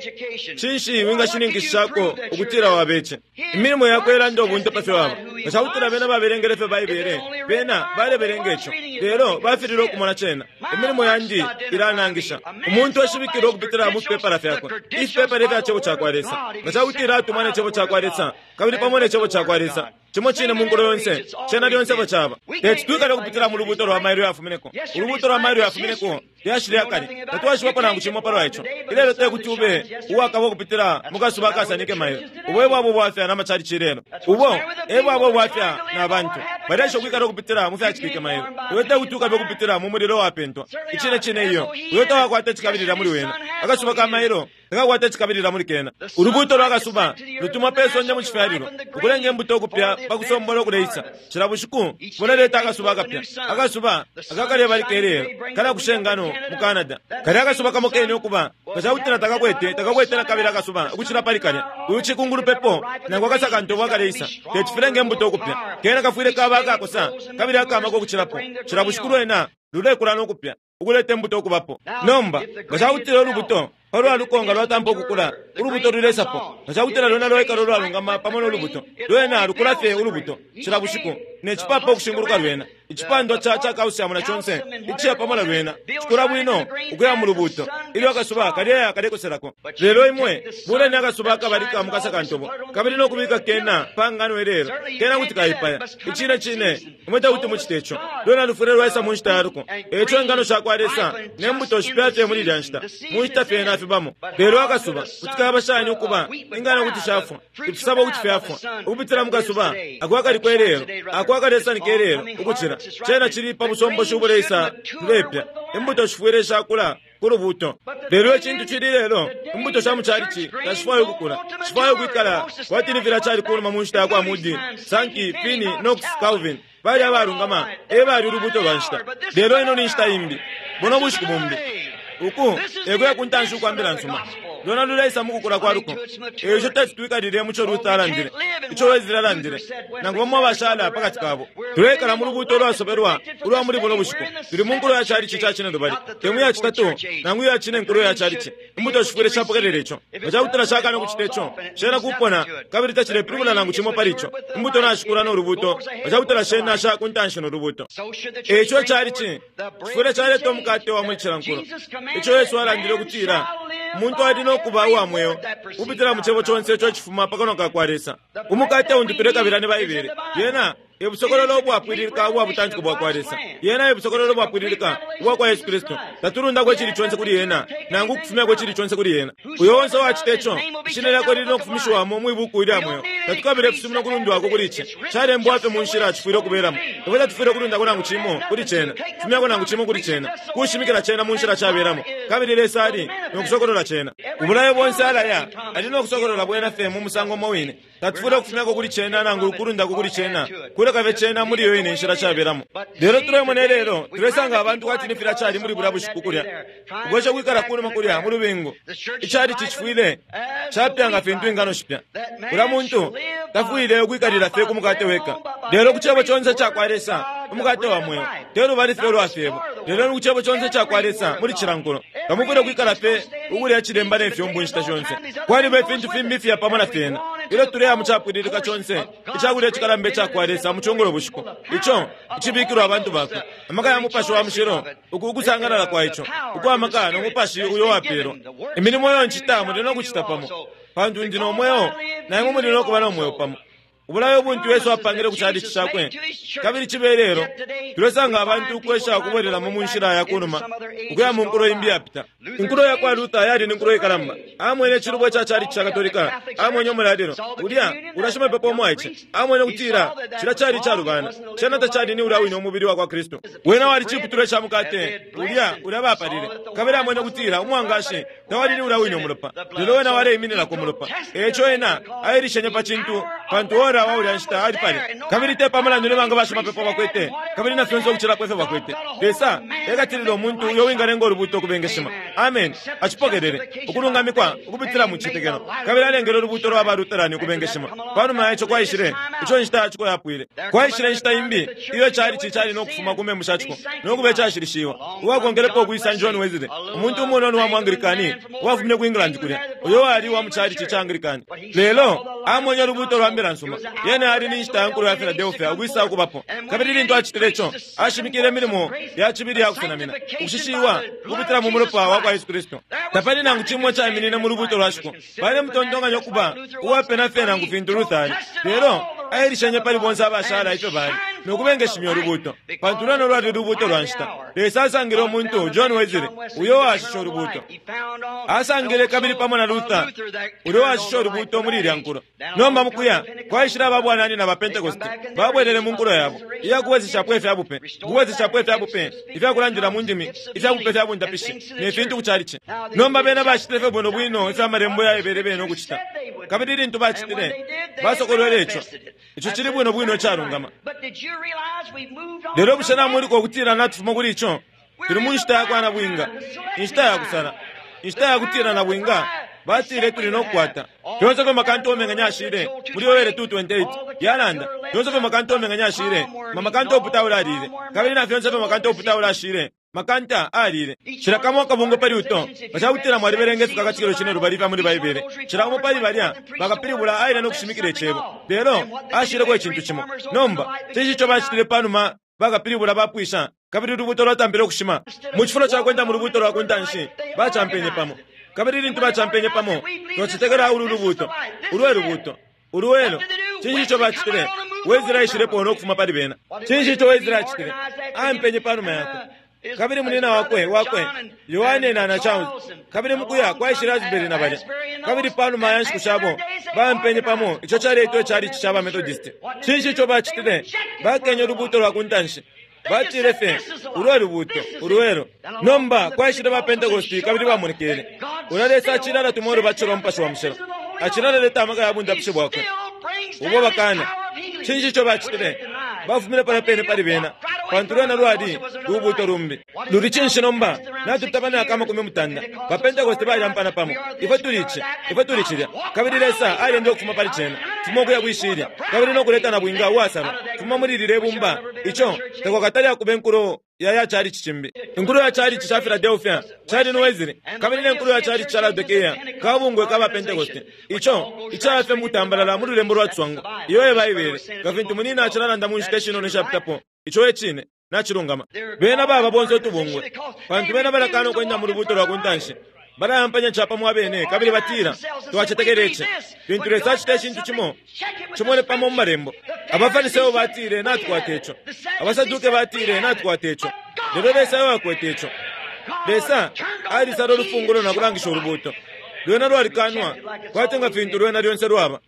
Speaker 1: Cinshi wingashininkishishako ukutila wabece? Imilimo yakwe ilanda ubunte pa fyo waba. Nga ca kutila bena babelengele fye Baibele, bena balebelenga ico, lelo bafililwe ukumona cena. Imilimo yandi ilanangisha. Umuntu eshibikilwa ukupitila mu fipepala fyakwe, ifipepala ifya Cebo cakwa Lesa. Nga ca kutila atumwa ne Cebo cakwa Lesa, kabili pamo ne Cebo cakwa Lesa, cimo cine mu nkulo yonse, cena lyonse efyo caba. Teti twikale ukupitila mu lubuuto lwa mailo yafumineko. Ulubuuto lwa mailo yafumineko lyashi lya kale. Tatwaishibapo nangu cimo palwa ico. Ilelo te kuti ube uwakaba ukupitila mu kasuba akasanike mailo. Ubo e bwaba ubwafya na macalici ilelo. Ubo e bwaba ubwafya na bantu. Baleesha ukwikala ukupitila mu fyacitike mailo. Iwe te kuti ukabe ukupitila mu mulilo uwapentwa. Icine cine iyo. Uyo tawakwata icikabilila muli wena. Akasuba ka mailo takakwata icikabilila muli kena. Ulubuuto lwa kasuba lutumwa pe sonde mu cifyalilwa, ukulenga imbuto ukupya pa kusombola ukuleisa. Cila bushiku buleleta akasuba akapya. Akasuba akakalebalika ilelo kalakusha ingano mu Canada. Kalya akasuba kamo kene ukuba nga ca kutila takakwete, takakwete na kabili akasuba ukucila pali kalya. Uyu cikungulupepo nangu akasakantobo akaleisa teti filenge imbuto ukupya. Kena kafwile kaba akakosa kabili akamaka ukucilapo. Cila bushiku lwena lulekula no kupya, ukuleta imbuto ukubapo. Nomba nga ca kutila ulubuto palwa luko nga lwatampa ukukula, ulubuto lulesapo. Nga ca kutila lwena lwaikala ulwalungama pamo no lubuto, lwena lukula fye ulubuto cila bushiku, ne cipapa ukushinguluka lwena. Icipandwa ca ca calcium na conse iciya pamo na lwena cikula bwino ukuya mu lubuto ilyo akasuba kaleya kalekoselako. Lelo imwe buleni akasuba akabalika mu kasakantobo kabili no kubika kena pa ngano ilelo, kena kuti kaipaya. Icine cine, imwe tekuti mucite ico. Lwena lufwile lwaisa mu nshita ya luko. E ico ingano sha kwa Lesa ne mbuto shipya fye muli ilya nshita, mu nshita fye nafibamo. Lelo akasuba kuti kaba shani ukuba ingano kuti shafwa, ifisabo kuti fyafwa ukupitila mu kasuba ako akaliko ilelo, ako akalesanika ilelo ukucila cena cili pa busomboshi ubuleisa tulepya. Imbuto shifwile shakula ku lubuto. Lelo icintu cili lelo, imbuto sha mu calici tashifwaya ukukula. Shifwaya ukwikala kwati ni filya cali kunuma mu nshita ya kwa Moody, Sankey, Finney, Knox, Calvin. Bali abalungama, e bali ulubuto lwa nshita. Lelo ino ni nshita imbi. Buno bushiku bumbi. Uku e kuya ku ntanshi ukwa mbila nsuma. Lwena luleisa mu kukula kwa luko. E ico teti twikalile mu co Luther alandile, ico Wesley alandile, nangu bamo abashala pa kati kabo. Tuleikala mu lubuuto ulwasobelwa ulwa muli buno bushiku. Tuli mu nkulo ya calici ca cinelubali, te mu ya citatu nangu iya cine nkulo ya calici. Imbuto shifwile shapokelela ico. Nga ca kutila shakana ukucita ico, shena kupona kabili tacilepilibula nangu cimo pali ico. Imbuto nashikula no lubuuto, nga ca kutila shena sha ku ntanshi no lubuuto. E ico icalici cifwile caleta umukate wa muli cila nkulo. Ico Yesu alandile ukutila umuntu ali no kuba uwa mweo ukupitila mu cebo conse ico icifuma pa kanwa ka kwa Lesa. Umukate untu tulekabila ni Baibele. Yena e busokololo ubwapwililika ubwa butantiko bwa kwa Lesa. Yena e busokololo ubwapwililika ubwa kwa Yesu Kristu. Tatulundako icili conse kuli yena, nangu ukufumyako icili conse kuli yena. Uyo onse uwacita ico, ishina lyakwe lili no kufumishiwamo mwi buku ilya mweo. Tatukabila ifisumino ukulundwako kuli ici. Calembwa fye mu nshila cifwile ukubelamo. Ifwe tatufwile ukulundako nangu cimo kuli cena, kufumyako nangu cimo kuli cena, kushimikila cena mu nshila cabelamo. Kabili Lesa ali no kusokolola cena. Ubulayo bonse alaya, ali no kusokolola bwena fye mu musango umo wine. Tatufwile ukufumyako kuli cena nangu ukulundako kuli cena, kuleka fye cena muli iyo ine nshila cabelamo. Lelo tulemona ilelo, tulesanga abantu kwati ni filya cali muli bulya bushiku kulya, ukwesha ukwikala kunuma kulya mu lubingu. Icalici cifwile capya nga fintu ingano shipya. Ulya muntu tafwile ukwikalila fye ku mukate weka, lelo ku Cebo conse ica kwa Lesa, umukate wa mweo, te lubali fye ulwa fyebo, lelo ni ku Cebo conse ica kwa Lesa muli cila nkulo. Tamufwile ukwikala fye ukulya cilemba ne fyumbu inshita shonse. Kwaliba ifintu fimbi ifya pamo na fyena. Ilyo tuleya mu capwililika conse ica kulya icikalamba ica kwa Lesa mu cungulo bushiku, ico icibikilwa abantu bakwe, amaka ya Mupashi wa Mushilo, uku ukusangalala kwa ico, ukwa maka no Mupashi uyo wapeelwa. Imilimo iyo ncita muli no kucita pamo, pantu ndi no mweo, na imwe muli no kuba no mweo pamo. Ubulayo buntu Yesu apangile ku calici cakwe, kabili cibe ilelo, tulesanga abantu ukwesha ukubwelelamo mu nshila ya kunuma ukuya mu nkulo imbi yapita. Inkulo ya kwa Luther yali ni nkulo ikalamba. Amwene icilubo ica calici ca Katolika, amwene umulalilo ulya ulya shimapepo umwaice, amwene ukutila cilya cali icalubana, cena tacali ni ulya wine umubili wa kwa Kristu. Wena wali ciputulwa ca mukate ulya ulya bapalile, kabili amwene ukutila umwangashi tawali ni ulya wine umulopa, lelo wena waleimininako umulopa. E ico ena ailishenye pa cintu. Pantu ora wa ulya nshita ali palya. Kabili te pa mulandu ne banga bashimapepo bakwete, kabili na fyonse ukucilapo ifyo bakwete, Lesa ekatilila umuntu uyo wingalenga ulubuuto ukubengeshima. Ameni. Acipokelele, ukulungamikwa ukupitila mu citetekelo, kabili alengele ulubuuto lwa ba Lutherani ukubengeshima. Panuma ya ico kwaishile, ico inshita ya ciko yapwile, kwaishile inshita imbi iyo chalichi cali no kufuma ku membu sha ciko no kuba icashilishiwa. Uwakonkelepo ukwisa John Wesley, umuntu umunono wa mu Anglikani uwafumine ku England kulya, uyo wali uwa mu chalichi ca Anglikani. Lelo amwenye ulubuuto lwa mbila nsuma. Yene ali ni nshita ya nkulo ya Philadelphia ukwisa ukubapo. Kabili lintu acitile ico, ashimikile imilimo ya cibili ya kusenamina, ukushishiwa ukupitila mu mulopa wa kwa Yesu Kristu. Tapali nangu cimo icaiminine mu lubuuto lwa ciko. Balemutontonkanya ukuba uwapena fye nangu fintu Luther ali. Lelo ailishenye pali bonse abashala ifyo bali, no kubengeshimya ulubuuto, pantu lwena lwali lubuuto lwa nshita. Lesa asangile umuntu, John Wesley, uyo uwashishe ulubuuto. Asangile kabili pamo na Luther, uyo uwashishe ulubuuto muli ilya nkulo. Nomba mukuya kwaishile aba bwananyina ba Pentecost, babwelele mu nkulo yabo iya kubweseshapo ifya bupe, ukubweseshapo ifya bupe ifya kulandila mu ndimi, ifya bupe fya bundapishi, ne fintu ku chalichi. Nomba bena bacitile fye bwino bwino ifyo amalembo yaebele bena ukucita. Kabili lintu bacitile, basokolwele ico. Ico cili bwino bwino icalungama. Lelo bushe namwiluka ukutila natufuma kuli ico? Tuli mu nshita ya kwa nabwinga, inshita ya kusala, inshita ya kutila nabwinga batile tuli no kukwata. Fyonse fyo makantu omenganya ashile muli Yoele 2:28 yalanda, fyonse fyo makantu omenganya ashile, mamakanta oputaula alile, kabili na fyonse fyo makanta oputaula ashile, makanta alile. Cila kamo akabungwe pali uto, nga ca kutila mwalibelenga ifikakatikilo cine lubali ifya muli Baibele, cila umo pali balya bakapilibula aile no kushimikila icebo, lelo ashileko icintu cimo. Nomba, cinshi ico bacitile pa numa bakapilibula bapwisha kabili ulubuuto lwatampile ukushima? Mu cifulo ca kwenda mu lubuuto lwa ku ntanshi, bacampenye pamo. Kabili lintu bacampenye pamo, twacetekela ulu lubuuto, ulu e lubuuto, ulu elo. Cinshi ico bacitile? Wesley aishilepo no kufuma pali bena. Cinshi ico Wesley acitile? Ampenye pa numa yakwe. Kabili munina wakwe, wakwe, Yohane na, na Charles. Kabili mukuya kwaishile Asbury na balya. Kabili panuma ya nshiku shabo, baampenye pamo, ico caleitwa ichalichi ca ba Methodist. Cinshi ico bacitile? Bakenye ulubuuto lwa ku ntanshi. Batile fye, Ulu e lubuuto, ulu elo. Nomba kwaishile ba Pentecost kabili bamonekele. Ulya Lesa acili alatuma ulubatisho lwa Mupashi wa Mushilo. Acili alaleta amaka ya bundapishi bwakwe ubo bakana. Cinshi ico bacitile? Bafumine palya pene pali bena, pantu lwena lwali lubuuto lumbi. Luli cinshi nomba? Natupita pa myaka 30, ba Pentecost balyampana pamo. Ifwe tuli ici, ifwe tuli cilya. Kabili Lesa alyendele ukufuma pali cena, fuma ukuya kwi shilya, kabili no kuleta nabwinga uwasalwa, fuma muli lilye bumba. Ico takwakatale akuba inkulo ya ya chalichi cimbi. Inkulo ya chalichi ca Philadelphia cali ni Wesley, kabili ne nkulo ya chalichi ca Laodikea kabungwe ka ba Pentecost. Ico icaba fye mukutambalala mu lulembo lwa ciswango. Iyo e Baibele, nga fintu munina acilalanda mu nshita ishinono ishapitapo. Ico e cine. Nacilungama. Bena baba bonse utubungwe, pantu bena balakana ukwenda mu lubuuto lwa ku ntanshi. Balayampanya capamo abene kabili batila, Twacetekela ici. Lintu Lesa acita icintu cimo, cimone pamo mu Malembo. AbaFariseo batile, Natukwata ico. AbaSaduke batile, Natukwata ico. Lelo Lesa e wakwete ico. Lesa alisala ulufungulo na kulangisha ulubuuto. Lwena lwalikanwa, kwati nga fintu lwena lyonse lwaba.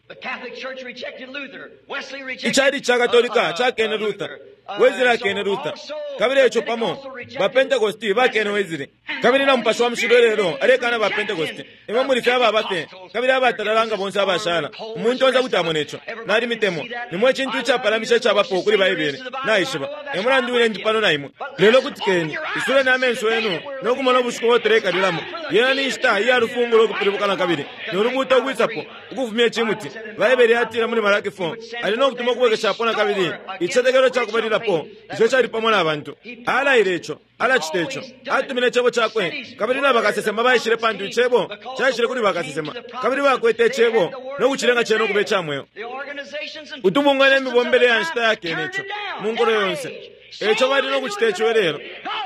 Speaker 1: Icalici ca Katolika cakene Luther. Wesley akene Luther. Kabili eco pamo, ba Pentecost bakene Wesley. Kabili na Mupashi wa Mushilo ilelo alekana ba Pentecost. Imwe muli fye ababa fye, kabili abatalala nga bonse abashala. Umuntu onse kuti amona ico. Nalimitemwa. Nimwe icintu icapalamisha icabapo kuli Baibele. Naishiba. E mulandu wine ndi pano na imwe. Lelo kutikeni, isuleni amenso yenu no kumona ubushiku ubo tuleikalilamo. Yena ni nshita iya lufungulo ukupilibuka na kabili, no lubuuto ukwisapo, ukufumya icimuti. Baibele yatila muli Malaki 4, Ali no kutuma ukubwekeshapo na kabili icitetekelo ca kubalilapo ico cali pamo na bantu. Alaile ico. Alacita ico. Atumine Icebo Cakwe, kabili na bakasesema baishile pantu Icebo caishile kuli bakasesema, kabili bakwete Icebo no kucilenga Cena ukuba ica mweo. Utubungwe ne mibombele ya nshita yakene ico mu nkulo yonse. Eico bali no kucita ico ilelo.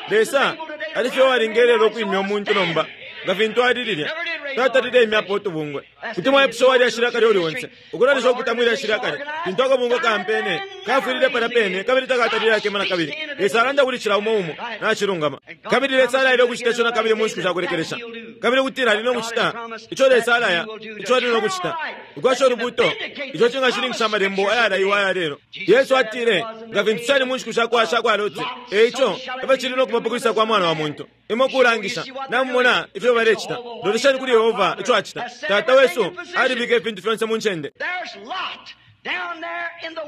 Speaker 1: Lesa ali fye uwalinga ilelo ukwimya umuntu nomba nga fintu ali lilya. Tatalile imyapo utubungwe. Kuti mwaipusha uwa lyashi lya kale uli onse, ukulolesha ukupita mwi lyashi lya kale, lintu akabungwe kaampene, kafwilile palya pene kabili takatalile akema na kabili. Lesa alanda kuli cila umo umo. Nacilungama. Kabili Lesa alaile ukucita ico na kabili mu nshiku sha kulekelesha. Kabili ukutila Ali no kucita ico Lesa alaya, ico Ali no kucita. Ukwasha ulubuuto, ico cingashininkisha Amalembo ayalaiwa aya lelo. Yesu atile, Nga fintu cali mu nshiku sha kwa, sha kwa Loti, e ico efyo cili no kuba pa kwisa kwa Mwana wa muntu. Imwe kulangisha, namumona ifyo balecita. Lolesheni kuli Yehova ico acita. Tata wesu alibika ifintu fyonse mu ncende.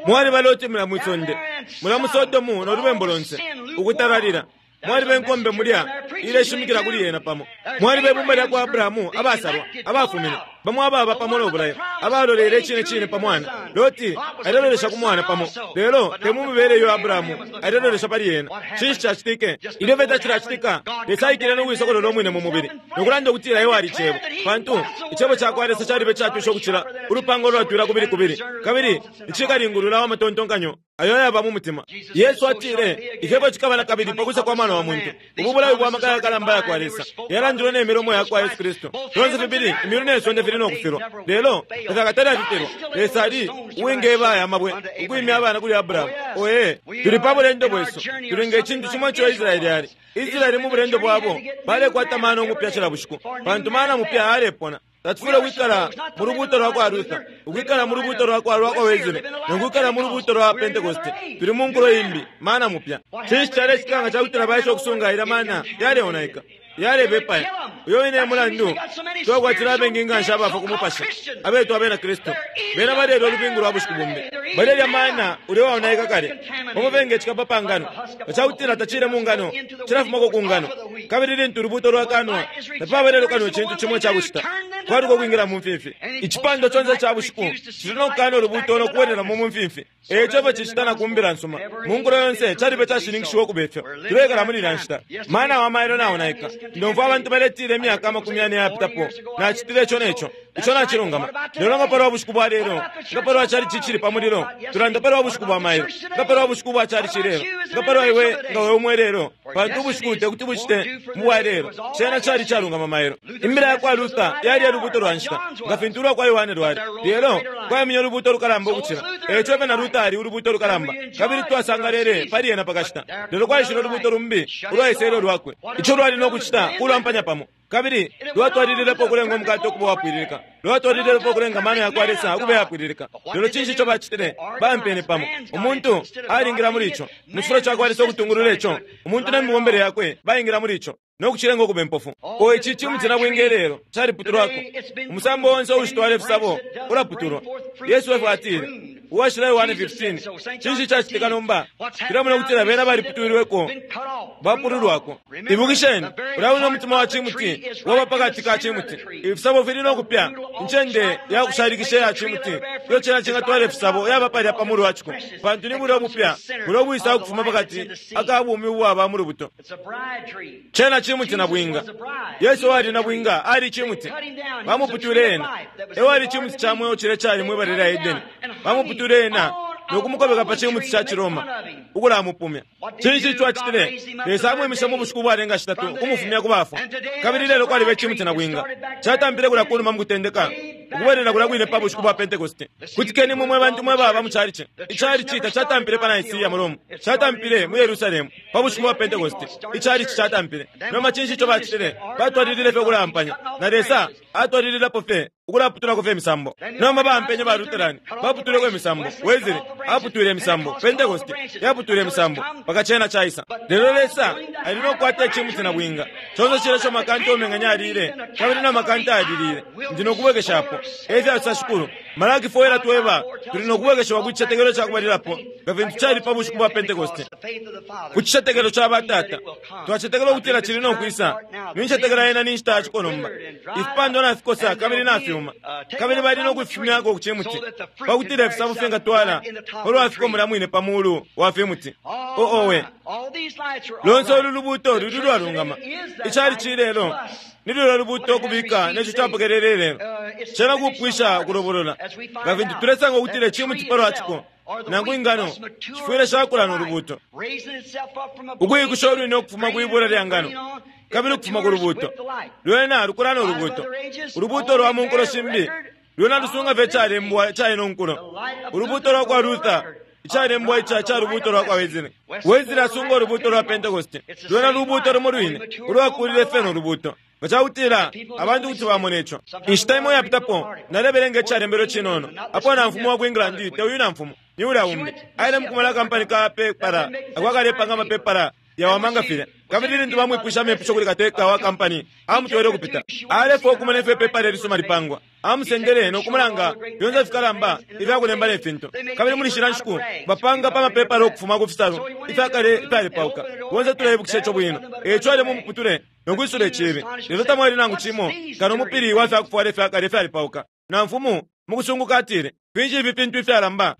Speaker 1: Mwaliba Loti mulya mwi sonde, mulya mu Sodomu no lubembu lonse, ukutalalila. Mwaliba inkombe mulya ileshimikila kuli yena pamo. Mwaliba ibumba lya kwa Abrahamu abasalwa, abafumine, bamo ababa pamo no bulayo, abalolele icine cine pa mwana. Loti alelolesha ku mwana pamo, lelo te mu mibele iyo Abrahamu alelolesha pali yena. Cinshi cacitike? Ilyo fye tacilacitika, Lesa aikile no kuisokolola umwine mu mubili, no kulanda ukutila Ewo ali Cebo, pantu Icebo ca kwa Lesa calibe icatwisha ukucila ulupanga ulwatwila kubili kubili, kabili icikalingulula wa matontonkanyo ayo ayaba mu mutima. Yesu atile, Ifyebo cikaba na kabili pa kwisa kwa Mwana wa muntu. Ubu bulayo bwa maka yakalamba ya kwa Lesa yalandilwe ne milomo ya kwa Yesu Kristu. Fyonse fibili imyulu ne sonde fili no kufilwa, lelo tafyakatale afipelwa. Lesa ali uwingeba aya mabwe ukwimya abana kuli Abrahamu. Oye, tuli pa bulendo bwesu, tuli nge cintu cimo ico Israeli ali. Israeli mu bulendo bwabo balekwata mana umupya cila bushiku, pantu mana mupya alepona. Tatufwile ukwikala mu lubuuto lwa kwa Luther, ukwikala mu lubuuto lwa kwa lwa kwa Wesley, no kwikala mu lubuuto lwa Pentecost. Tuli mu nkulo imbi, mana mupya. Cinshi calecitika nga ca kutila baesha ukusunga ilya mana yaleonaika, yalebepaya? Uyo wine e mulandu twakwatila abengi nga nshi abafwa ku mupashi abetwa Abena Kristu. Bena balelya ulubingu lwa bushiku bumbi. Balelya mana ulya uwaonaika kale. Pamo fye nge cikapa pa ngano, nga ca kutila tacile mu ngano, cilafumako ku ngano. Kabili lintu ulubuuto lwakanwa, tapaba nelyo kano icintu cimo ica kucita, kwaluka ukwingila mu mfimfi. Icipandwa conse ica bushiku cili no kukana ulubuuto no kubwelelamo mu mfimfi. E ico efyo cicita na ku Mbila nsuma. Mu nkulo yonse caliba icashininkishiwa ukube fyo. Tuleikala muli ilya nshita. Mana wa mailo naonaika. Ndomfwa abantu baletila imyaka amakumi yane ayapitapo, nacitile ico ne co. Ico nacilungama. Lelo nga palwa bushiku bwa lelo? Nga palwa chalichi icili pa mulilo? Tulanda palwa bushiku bwa mailo. Nga palwa bushiku bwa chalichi ilelo? Nga palwa iwe nga we umo ilelo? Pantu ubushiku tekuti bucite mu bwa lelo. Cena cali icalungama mailo. Imbila ya kwa Luther yali e lubuuto lwa nshita, nga fintu ulwa kwa Yohane lwali. Lelo kwaimine ulubuuto lukalamba ukucila. E ico na Luther ali ulubuuto lukalamba, kabili twasangalele pali ena pa kashita. Lelo kwaishile ulubuuto lumbi ulwaisele ulwakwe. Ico lwali no kucita kulwampanya pamo. Kabili lwatwalililepo ukulenga umukate ukuba uwapwililika. Lwatwalililepo ukulenga amano ya kwa Lesa ukuba ayapwililika. Lelo cinshi ico bacitile? Baampene pamo. Umuntu alingila muli ico. Mu cifulo ca kwa Lesa ukutungulula ico, umuntu ne mibombele yakwe baingila muli ico, no kucilenga ukuba impofu. O ici cimuti na bwinga ilelo caliputulwako. Umusambo onse uushitwala ifisabo ulaputulwa. Yesu efyo atile. Uwashila Yohane 15. Cinshi icacitika nomba? Tulemona ukutila bena baliputwilweko, bapululwako. Ibukisheni, ulya wine umutima wa cimuti waba pa kati ka cimuti. Ifisabo fili no kupya. Incende ya kushalikisha iya cimuti iyo cena cingatwala ifisabo yaba palya pa mulu wa ciko, pantu ni bulya ubupya bulya ubwisa ukufuma pa kati aka bumi ubwaba mu lubuto. Cena cimuti na bwinga. Yesu uwali na bwinga ali cimuti. Bamuputwile ena. E wali cimuti ca mweo cilya cali mwi bala lya Edeni. Bamuputwile ena no kumukobeka pa cimuti ca ciRoma, ukulamupumya. Cinshi ico acitile? Lesa amwimishe mu bushiku ubwalenga shitatu, ukumufumya ku bafwa. Kabili lelo kwaliba icimuti na bwinga. Catampile kulya kunuma mu kutendeka, ukubwelela kulya kwine pa bushiku bwa Pentekoste. Kutikeni imwe mwe bantu mwe baba mu chalichi. Ichalichi tacatampile pa Nicaea mu Roma. Catampile mu Yerusalemu pa bushiku bwa Pentekoste. Ichalichi catampile. Nomba cinshi ico bacitile? Batwalilile fye ukulampanya. Na Lesa atwalililapo fye ukulaputulako fye imisambo. Nomba baampenye ba Lutheran, baputwileko imisambo. Wesley aputwile imisambo. Pentecost yaputwile imisambo. Mpaka cena caisa. Lelo Lesa ali no kukwata icimuti na bwinga. Conse cilya ico makanta umeng'anya alile, kabili na makanta alilile, ndi no kubwekeshapo. E fyasosa Shikulu. Malaki 4 ilatweba tuli no kubwekeshiwa ku cicetekelo ca kubalilapo, nga fintu cali pa bushiku bwa Pentecost. Ku cicetekelo ca batata, twacetekela ukutila cili no kwisa. Nincetekela yena ni nshita ya ciko nomba. Ifipandwa nafikosa kabili nafyuma, kabili bali no kufifumyako ku cimuti, pa kutila ifisabo fingatwala palwa fiko mulya mwine pa mulu wa fimuti. O owe! Lonse ulu lubuuto luli ulwalungama. Icalici ilelo ni lulya lubuuto ukubika ne co capokelele ilelo. Cena kupwisha ukulobolola. Nga fintu tulesanga ukutila icimuti palwa ciko, nangu ingano, shifwile shakula no lubuuto. Ukuikusha ulwine ukufuma kwi bula lya ngano, kabili ukufuma ku lubuuto. Lwena lukula no lubuuto. Ulubuuto lwa mu nkulo shimbi lwena lusunga fye icalembwa ica ino nkulo. Ulubuuto lwa kwa Luther, icalembwa ica ca lubuuto lwa kwa Wesley. Wesley asunga ulubuuto lwa Pentecost. Lwena lubuuto lumo lwine, ulwakulile fye no lubuuto. Nga ca kutila abantu kuti bamona ico. Inshita imo iyapitapo, nalebelenga icalembelwe cinono, apo namfumu wa ku England, te uyu namfumu, ni ulya umbi, aile mu kumona akampani ka pepala ako akalepanga amapepala. yawama nga filya. Kabili lintu bamwipwishe amepusho kuli kateka wa kampani, amutwele ukupita. Alefwaya ukumona ifyo ipepala ilisuma lipangwa. Amusendele no kumulanga fyonse ifikalamba ifya kulemba ne fintu. Kabili muli shilya nshiku bapanga pa mapepala ukufuma ku fisalu ifya kale ifyalepauka. Bonse tuleibukisha ico bwino. E ico aile mu muputule no kwisula iciibi. Lelo tamwali nangu cimo kano umupili wa fya kufwala ifya kale ifyalepauka. Namfumu mu kusunguka atile, Finshi ifi fintu ifyalamba?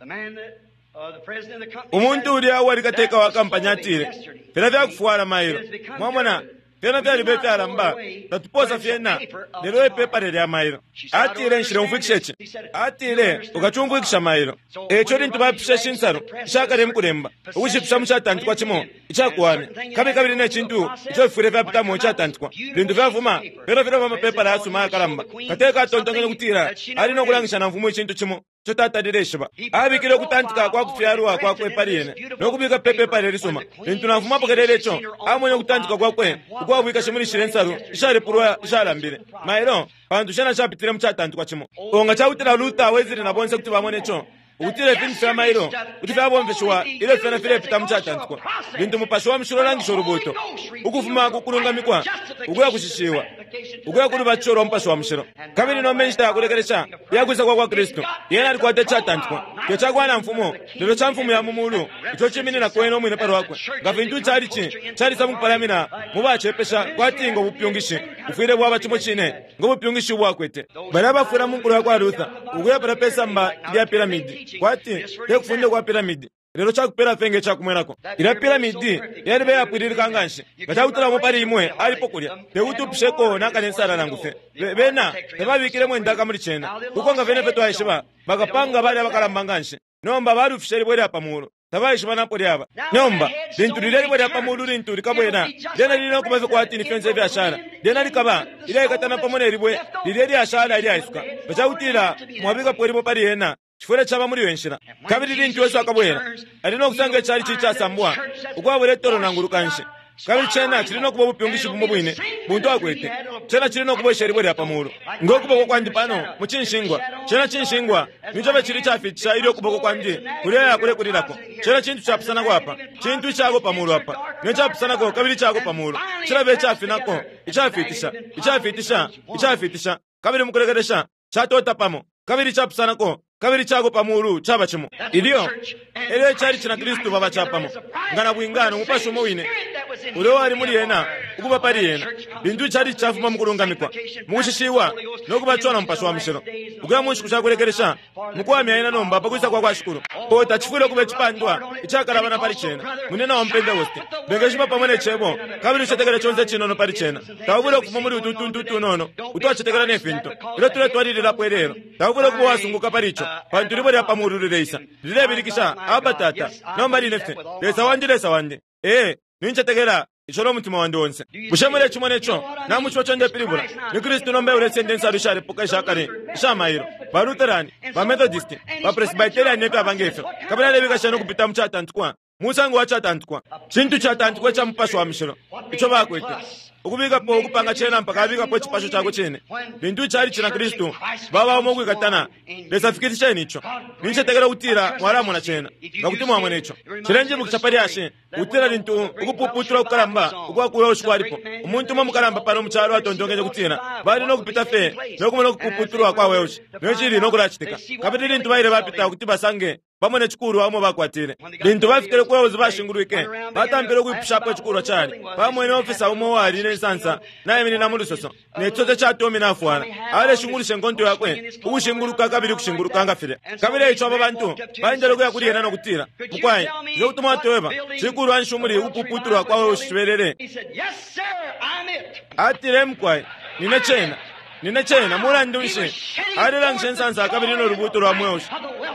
Speaker 1: Umuntu ulya uwali kateka wa kampani atile, Filya fya kufwala mailo. Mwamona, fyena fyaliba ifyalamba, tatuposa fyena, lelo ipepala lya mailo. Atile, Nshileumfwikisha ici. Atile, Ukacumfwikisha mailo. E ico lintu bapishe ishi nsalu ishakale mu kulemba, ukushipisha mu catantikwa cimo icakuwamya, kabili kabili ne cintu ico fifwile fyapitamo icatantikwa, lintu fyafuma, fyena filaba amapepala ayasuma ayakalamba. Kateka atontonkenye ukutila ali no kulangisha namfumu icintu cimo ico tatalile ishiba. Abikile ukutantika kwa kufyalwa kwakwe pali yene no kubika pe pepala ilisuma. Lintu namfumu apokelele ico, amwene ukutantika kwakwe ukwa bwikashi muli shilya nsalu ishalepulwa ishalambile mailo, pantu shena shapitile mu catantikwa cimo. O nga ca kutila Luther, Wesley na bonse kuti bamona ico, ukutila ifintu fya mailo kuti fyabomfeshiwa ilyo fyena filepita mu catantikwa, lintu Mupashi wa Mushilo ulangisha ulubuuto ukufuma ku kulungamikwa ukuya kushishiwa, ukuya ku lubatisho lwa Mupashi wa Mushilo. Kabili nomba inshita ya kulekelesha iya kwisa kwa kwa Kristu, Yena alikwata icatantikwa, te ca kwa namfumu, lelo ca Mfumu ya mu Mulu, ico cimininako Ena umwine palwakwe, nga fintu icalici calisa mukupalamina mu bacepesha kwati ngo bupyungishi bufwile bwaba cimo cine ngo bupyungishi ubo akwete. Balya abafwila mu nkulo ya kwa Luther, ukuya palya pe samba lya piramidi, kwati te kufunda kwa piramidi, lelo ca kupela fye nge ca kumwenako. Ilya piramidi yaliba iyapwililika nganshi, nga ca kutila umo pali imwe alipo kulya, te kuti upisheko nakale insala nangu fye. Be, bena tababikilemo indaka muli cena. Uko nga fyene fye twaishiba, bakapanga bali abakalamba nganshi. Nomba balufishe libwe lya pa mulu. Tabaishiba napo lyaba. Nomba, lintu lilya libwe lya pa mulu lintu likabwela, lyena lili no kuba fye kwati ni fyonse ifyashala. Lyena likaba ilyaikatana pamo ne libwe lilya ilyashala ilyaisuka. Nga ca kutila mwabikapo ilibwe pali lyena, cifwile caba muli iyo nshila. Kabili lintu Yesu akabwela, ali no kusanga icalici icasambwa, ukwabula itolo nangu lukanshi. Kabili cena cili no kuba ubupyungishi bumo bwine buntu akwete. Cena cili no kubwesha ilibwe lya pa mulu. Ngo kuboko kwandi pano, mu cinshingwa. Cena cinshingwa, nico fye cili icafiitisha ilyo ukuboko kwandi kuleya kulekulilako. Cena cintu capusanako apa, cintu icako pa mulu apa, ne capusanako kabili icako pa mulu. Cilaba icafinako, icafiitisha, icafiitisha, icafiitisha, kabili mukulekelesha catota pamo, kabili icapusanako kabili cako pa mulu caba cimo. Ilyo elyo icalici na Kristu baba capamo, nga nabwinga no Mupashi umo wine ulya uwali muli ena ukuba pali ena, lintu icalici cafuma mukulungamikwa, mukushishiwa, no kubatishiwa na Mupashi wa Mushilo, ukuya mu nshiku sha kulekelesha, mukuwamya ena nomba pa kwisa kwa kwa Shikulu. Oh, tacifwile ukuba icipandwa icakalabana pali cena, munyina wa mu Pentekoste. Bengeshima pamo ne Cebo, kabili ucetekele conse icinono pali cena. Taufwile ukufuma muli utu utuntu utunono utwacetekela ne fintu, ilyo tuletwalililapo ilelo. Taufwile ukuba uwasunguka pali ico, pantu ilibwe lya pa mulu lileisa, lilebilikisha, Abba, Tata, nomba line fye, Lesa wandi, Lesa wandi. Ee, nincetekela ico no mutima wandi onse. Bushe mulecimona ico? Namuciba ico ndepilibula? Ni Kristu nomba eulesenda insalu ishalepuka isha kale isha mailo, ba Lutheran, ba Methodist, ba Presbyterian ne fyaba nge fyo, kabili alebika shena ukupita mu catantikwa, musango wa catantikwa, cintu catantikwa ica Mupashi wa Mushilo ico bakwete. Ukubikapo ukupanga cena mpaka abikapo icipasho cakwe cine. Lintu icalici na Kristu baba umo ukwikatana, Lesa fikilisheni ico. Nincetekela ukutila mwalamona cena, nga kuti mwamona ico. Cilenjibukisha pa lyashi, ukutila lintu ukupuputula kukalamba ukwa ku Welsh kwalipo, umuntu umo mukalamba pano mu calo atontonkenye ukutila bali no kupita fye no kumona ukupuputulwa kwa Welsh ne cili no kulacitika. Kabili lintu baile bapita ukuti basange bamone icikulwa umo bakwatile. Lintu bafikile ku Wales bashingulwike, batampile ukwipushapo icikulwa cali. Bamwene ofisa umo uwali ne nsansa naiminina mu lusoso, ne cisote ca Tommy nafwala, aleshungulusha inkonto yakwe ukushinguluka kabili ukushinguluka nga filya. Kabili eico aba bantu baendele ukuya kuli ena no kutila, Mukwai, bushe kuti mwatweba cikulwa nshi umuli ukupuputulwa kwa Wales cibelele? Atile, Mukwai, nine cena. Nine cena. Mulandu nshi? Alelangisha insansa kabili no lubuuto lwa Welsh,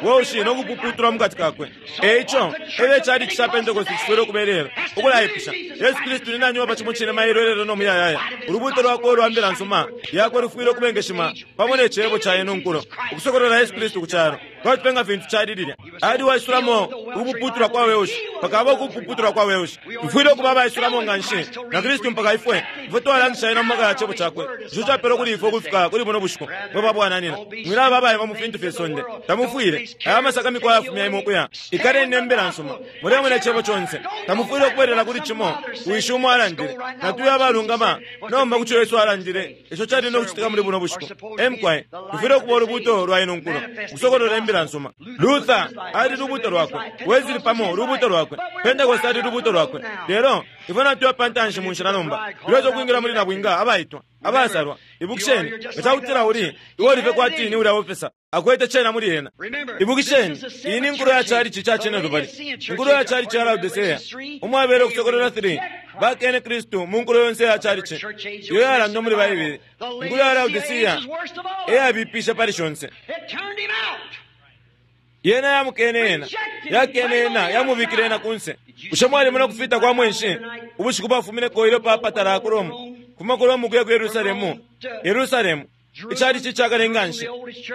Speaker 1: Welsh no kupuputulwa mu kati kakwe. E ico, elyo icalici ca Pentecost cifwile ukuba ilelo, ukulaipusha, Yesu Kristu ni nani uwaba cimo cine mailo, ilelo, no muyayaya? Ulubuuto lwakwe ulwa Mbila nsuma Yakwe lufwile ukubengeshima pamo ne Cebo ca ino nkulo, ukusokolola Yesu Kristu ku calo. Kwati fye nga fintu cali lilya. Ali uwaisulamo ukupuputulwa kwa Welsh, mpaka aba ukupuputulwa kwa Welsh. Tufwile ukuba abaisulamo nganshi na Kristu mpaka ifwe, ifwe twalangisha Ena mu maka ya Cebo Cakwe, ico capelwe kuli ifwe ukufika kuli buno bushiku. Mwe babwananyina, mwilaba abaeba mu fintu fye sonde. Tamufwile. Aya masakamikwa ayafumya imwe ukuya. Ikaleni ne Mbila nsuma. Mulemona Icebo conse. Tamufwile ukubwelela kuli cimo. Wishi umo alandile. Natuye abalungama nomba ku co Yesu alandile, ico cali no kucitika muli buno bushiku. E mukwai, tufwile ukuba ulubuuto lwa ino nkulo, ukusokolola Imbila nsuma. Luther ali lubuuto lwakwe, Wesley pamo lubuuto lwakwe, Pentecost ali lubuuto lwakwe. Lelo ifwe natuya pa ntanshi mu nshila nomba, tulesa ukwingila muli nabwinga abaitwa, abasalwa. Ibukisheni, nga ca kutila uli, iwe uli fye kwati ni ulya ofesa, akwete cena muli ena. Ibukisheni, iyi ni nkulo ya chalichi ca cinelubali, inkulo ya chalichi ya Laodicea, umwabele ukusokolola 3. Bakene Kristu mu nkulo yonse ya chalichi iyo yalandwa muli Baibele. Inkulo ya Laodicea e yabipisha pali shonse. Yena yamukene ena, yakene ena, yamubikile ena kunse. Bushe mwalimona ukufita kwa mwenshi ubushiku bwafumineko ilyo papa talaya ku Roma, kufuma ku Roma ukuya ku Yerusalemu? Yerusalemu, icalici icakale nganshi,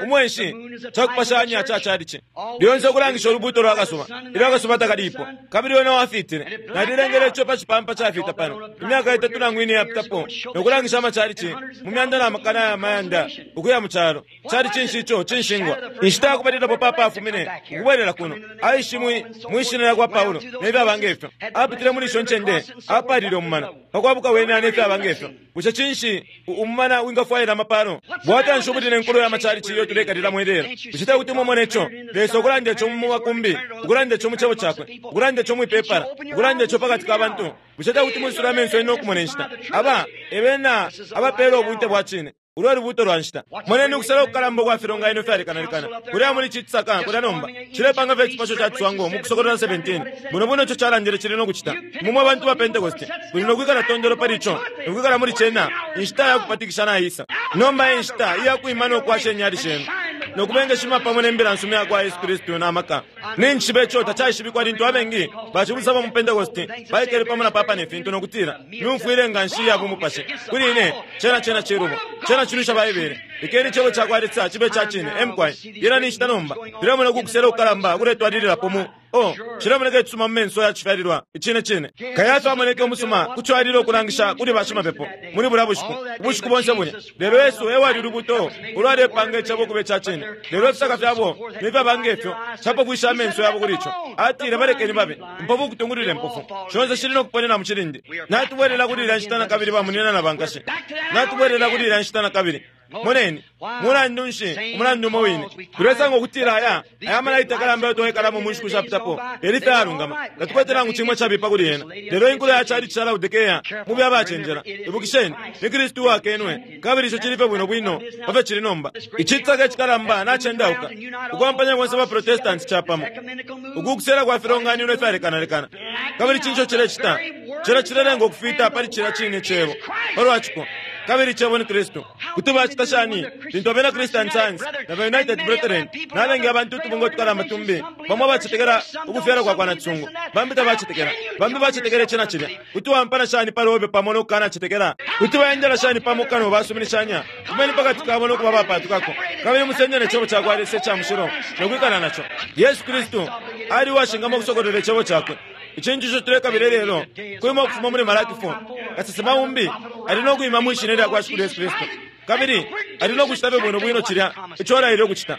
Speaker 1: umwenshi cakupashanya ca calici, lyonse ukulangisha ulubuuto lwa kasuba ilyo akasuba takalipo, kabili wena wafitile. Nalilengele ico pa cipampa cafita pano imyaka itatu nangu ine iyapitapo, no kulangisha amacalici mu myanda na makana ya mayanda ukuya mu calo. Cali cinshi ico cinshingwa? Inshita ya kubalilapo papa afumine ukubwelela kuno, aishi mwi, mwi shina lya kwa Paulo ne fyaba nge fyo. Apitile muli isho ncende, apalile umumana pa kwabuka wene ne fyaba nge fyo. Bushe cinshi umumana wingafwaila amapalo? Bwafya nshi ubuli ne nkulo ya macalici iyo tuleikalilamo ilelo? Bushe te kuti mumone ico? Lesa ukulanda ico mu makumbi, ukulanda ico mu Cebo Cakwe, ukulanda ico mwi pepala, ukulanda ico pakati ka bantu. Bushe te kuti mwisule amenso yenu no kumona inshita? Aba e bena abapeela ubunte bwa cine. Ulu e lubuuto lwa nshita. Moneni ukusela kukalamba ukwa filonganino fyalekanalekana kulya muli ici cisaka kulya nomba. Cilepanga fye icipasho ca ciswango mu Kusokolola 17. Buno bwino ico calandile cili no kucita. Imwe mwe bantu ba Pentekoste muli no kwikala tondolo pali ico no kwikala muli cena. Inshita ya kupatikisha naisa. Nomba e nshita iya kwima no kwasha inyali shenu no kubengeshima pamo ne Mbila nsuma iya kwa Yesu Kristu na maka. Ninjishiba ico tacaishibikwa lintu abengi bacibusa ba mu Pentekoste baikele pamo na papa ne fintu no kutila, Myumfwile nganshi iya bumupashi. Kuli ine, cena cena cilubo. Cena cilwisha Baibele. Lekeni Icebo cakwa Lesa cibe ica cine. E mukwai. Yena ni nshita nomba. Tulemona uku kusela kukalamba ukuletwalililapo mu, oh, cilemoneka icisuma mu menso ya cifyalilwa. Icine cine. Kayafa amoneke umusuma ku co alile ukulangisha kuli bashimapepo muli bulya bushiku, ubushiku bonse bulya. Lelo Yesu e wali Ulubuto ulwalepanga Icebo ukuba ica cine. Lelo ifisaka fyabo ne fyaba nge fyo capofwishe amenso yabo kuli ico. Atile, Balekeni babe impofu ukutungulula impofu. Shonse shili no kuponena mu cilindi. Natubwelela kuli ilya nshita na kabili, bamunyina na bankashi. Natubwelela kuli ilya nshita na kabili. Moneni, mulandu nshi, umulandu umo wine. Tulesanga ukutila aya, aya malaiti yakalamba ayo twaikalamo mu nshiku shapitapo, yali fye ayalungama. Tatukwete nangu cimo icabipa kuli yena. Lelo inkulo ya chalichi ca Laodikea, mube abacenjela. Ibukisheni, ni Kristu uwakenwe, kabili ico cili fye bwino bwino pa fyo cili nomba. Icitsaka icikalamba nacendauka, ukwampanya bonse ba Protestanti capamo, uku kusela kwa filonganino ifyalekanalekana. Kabili cinshi ico cilecita? Cena cilelenga ukufita pali cilya cine Cebo, palwa ciko. Kabili Icebo ni Kristu. Kuti bacita shani lintu abena Christian Science na ba United Brethren na abengi abantu utubungwe utukalamba tumbi, bamo abacetekela ukufyalwa kwa kwa nacisungu, bambi tabacetekela, bambi bacetekela ici na cilya? Kuti waampana shani pali obe pamo no kukanacetekela? Kuti baendela shani pamo kano basuminishanya? Fumeni pakati kabo no kuba abapaatukako, kabili musende ne Cebo ca kwa Lesa ica mushilo no kwikala na co. Yesu Kristu ali uwashingamwa ukusokolola Icebo Cakwe. Icintu ico tulekabila ilelo kwima ukufuma muli Malaki 4. Kasesema umbi ali no kwima mwi Shina lya kwa Shikulu Yesu Kristu, kabili ali no kucita fye bwino bwino cilya ico alaile ukucita.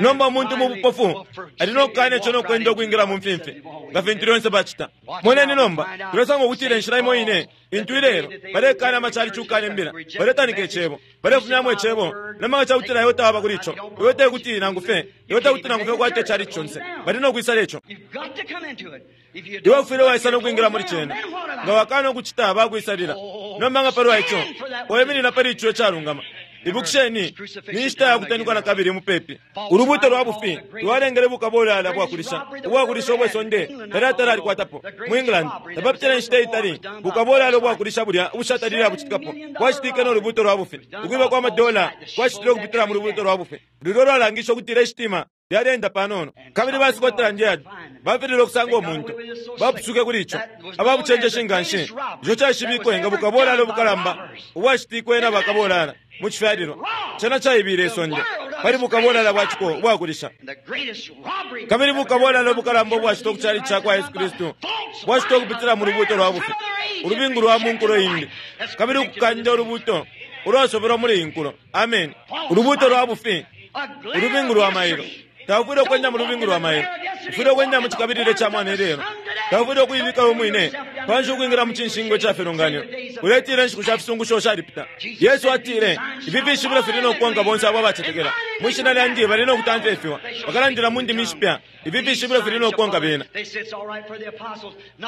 Speaker 1: Nomba umuntu mu bupofu ali no kukana ico no kwenda ukwingila mu mfimfi, nga fintu lyonse bacita. Moneni nomba, tulesanga ukutila inshila imo ine intu ilelo balekana amacalici ukukana Imbila, baletanika Icebo, balefumyamo Icebo, na maka cakutila iwe tawaba kuli ico, iwe tekuti nangu fye, iwe tekuti nangu fye ukwate icalici conse. Bali no kwisala ico. Iwe ufwile waisa no kwingila muli cena. Nga wakana ukucita, bakwisalila. Nomba nga palwa ico, waiminina pali ico icalungama. Ibukisheni, ni nshita ya kutanikwa na kabili mupepi. Ulubuuto lwa bufi lwalengele bukabolala bwakulisha, ubwakulisha ubwe sonde talyatala alikwatapo. Mu England, tapapitile inshita itali, bukabolala ubwakulisha bulya ubushatalile abucitikapo bwacitike no lubuuto lwa bufi. Ukwiba kwa madola kwacitilwe ukupitila mu lubuuto lwa bufi. Lulyo lwalangishe ukutila ishitima lyaleenda panono. Kabili ba Scotland Yard bafililwe ukusanga umuntu. Bapusuke kuli ico. Aba bucenjeshi nga nshi. Ico caishibikwe nga bukabolala ubukalamba ubwacitikwe na bakabolala mu cifyalilwa. Cena caibile isonde. pali bukabolala bwa ciko ubwakulisha. Kabili bukabolala ubukalamba ubwacitwa ku chalichi ca kwa Yesu Kristu bwacitwa ukupitila mu lubuuto lwa bufi, ulubingu lwa mu nkulo imbi, kabili ukukanda ulubuuto ulwasobelwa muli iyi nkulo. Ameni. Ulubuuto lwa bufi, ulubingu lwa mailo. Taufwile ukwenda mu lubingu lwa mailo. Ufwile ukwenda mu cikabililo ca mwana ilelo. Taufwile ukuibika we mwine panshi ukwingila mu cinshingwa ica filonganino. Uletila inshiku sha fisungusho shalipita. Yesu atile, Ifi fishibilo fili no kukonka bonse abo abacetekela. Mwi shina lyandi bali no kutamfya ifiwa. Bakalandila mu ndimi ishipya. Ifi fishibilo fili no kukonka bena.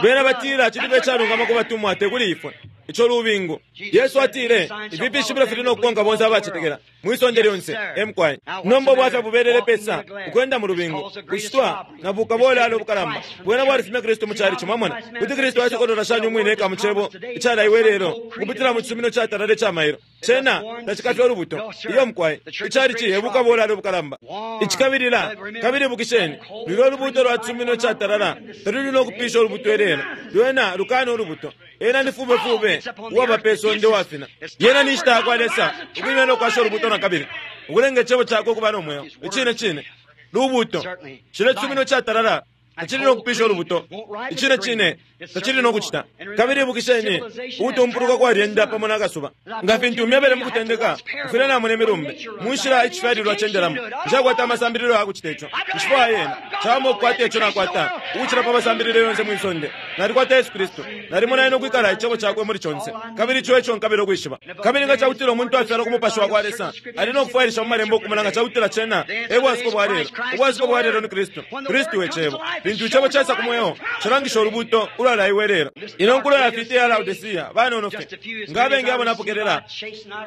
Speaker 1: Bena batila cili icalungama ku batumwa te kuli ifwe. Ico lubingu. Yesu atile, Ifi fishibilo fili no kukonka bonse abacetekela, mwi sonde lyonse. E mukwai. Nomba ubwafya bubelele pesa, ukwenda mu lubingu, kushitwa na bukabolala ubukalamba. Bwena bwalifumya Kristu mu chalichi, mwamona. Kuti Kristu asokolola shani umwine eka mu Cebo icalaiwe lelo, ukupitila mu cisumino catalala ica mailo. Cena tacikafye ulubuto. Iyo mukwai. Ichalichi e bukabolala ubukalamba. Icikabilila, kabili ibukisheni, lulyo lubuto lwa cisumino catalala taluli no kupisha ulubuto ilelo. Lwena lukana ulubuto. Ena ni fube fube uwaba pe sonde uwafina. Yena ni nshita yakwa Lesa ukwimya no kwasha ulubuto na kabili, ukulenga Icebo Cakwe ukuba no mweo. Icine cine. Lubuto. Cilya cisumino icatalala tacili no kupisha ulubuto. Icine cine, tacili no kucita. Kabili ibukisheni, ukutumpuluka kwalyenda pamo na kasuba. Nga fintu myebele mu kutendeka, mufwile namona imilumbe, mu nshila icifyalilwa cendelamo. Nshakwata amasambililo ya kucita ico. Nshifwaya yena. Cawama ukukwata ico nakwata, ukucila pa masambililo yonse mwi sonde. Nalikwata Yesu Kristu. Nalimona Ena ukwikala Icebo Cakwe muli conse, kabili ico eco nkabila ukwishiba. Kabili nga cakutila umuntu afyalwa ku Mupashi wakwa Lesa, ali no kufwailisha mu Malembo ukumona nga cakutila cena e bwasuko bwa lelo. Ubwasuko bwa lelo ni Kristu. Kristu e Cebo. Lintu Icebo caisa ku mweo, cilangisha Ulubuuto ulwalaiwe lelo. Ino nkulo yafiita iya Laodicea, banono fye. Nga abengi abo napokelela,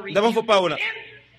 Speaker 1: ndabafopaula.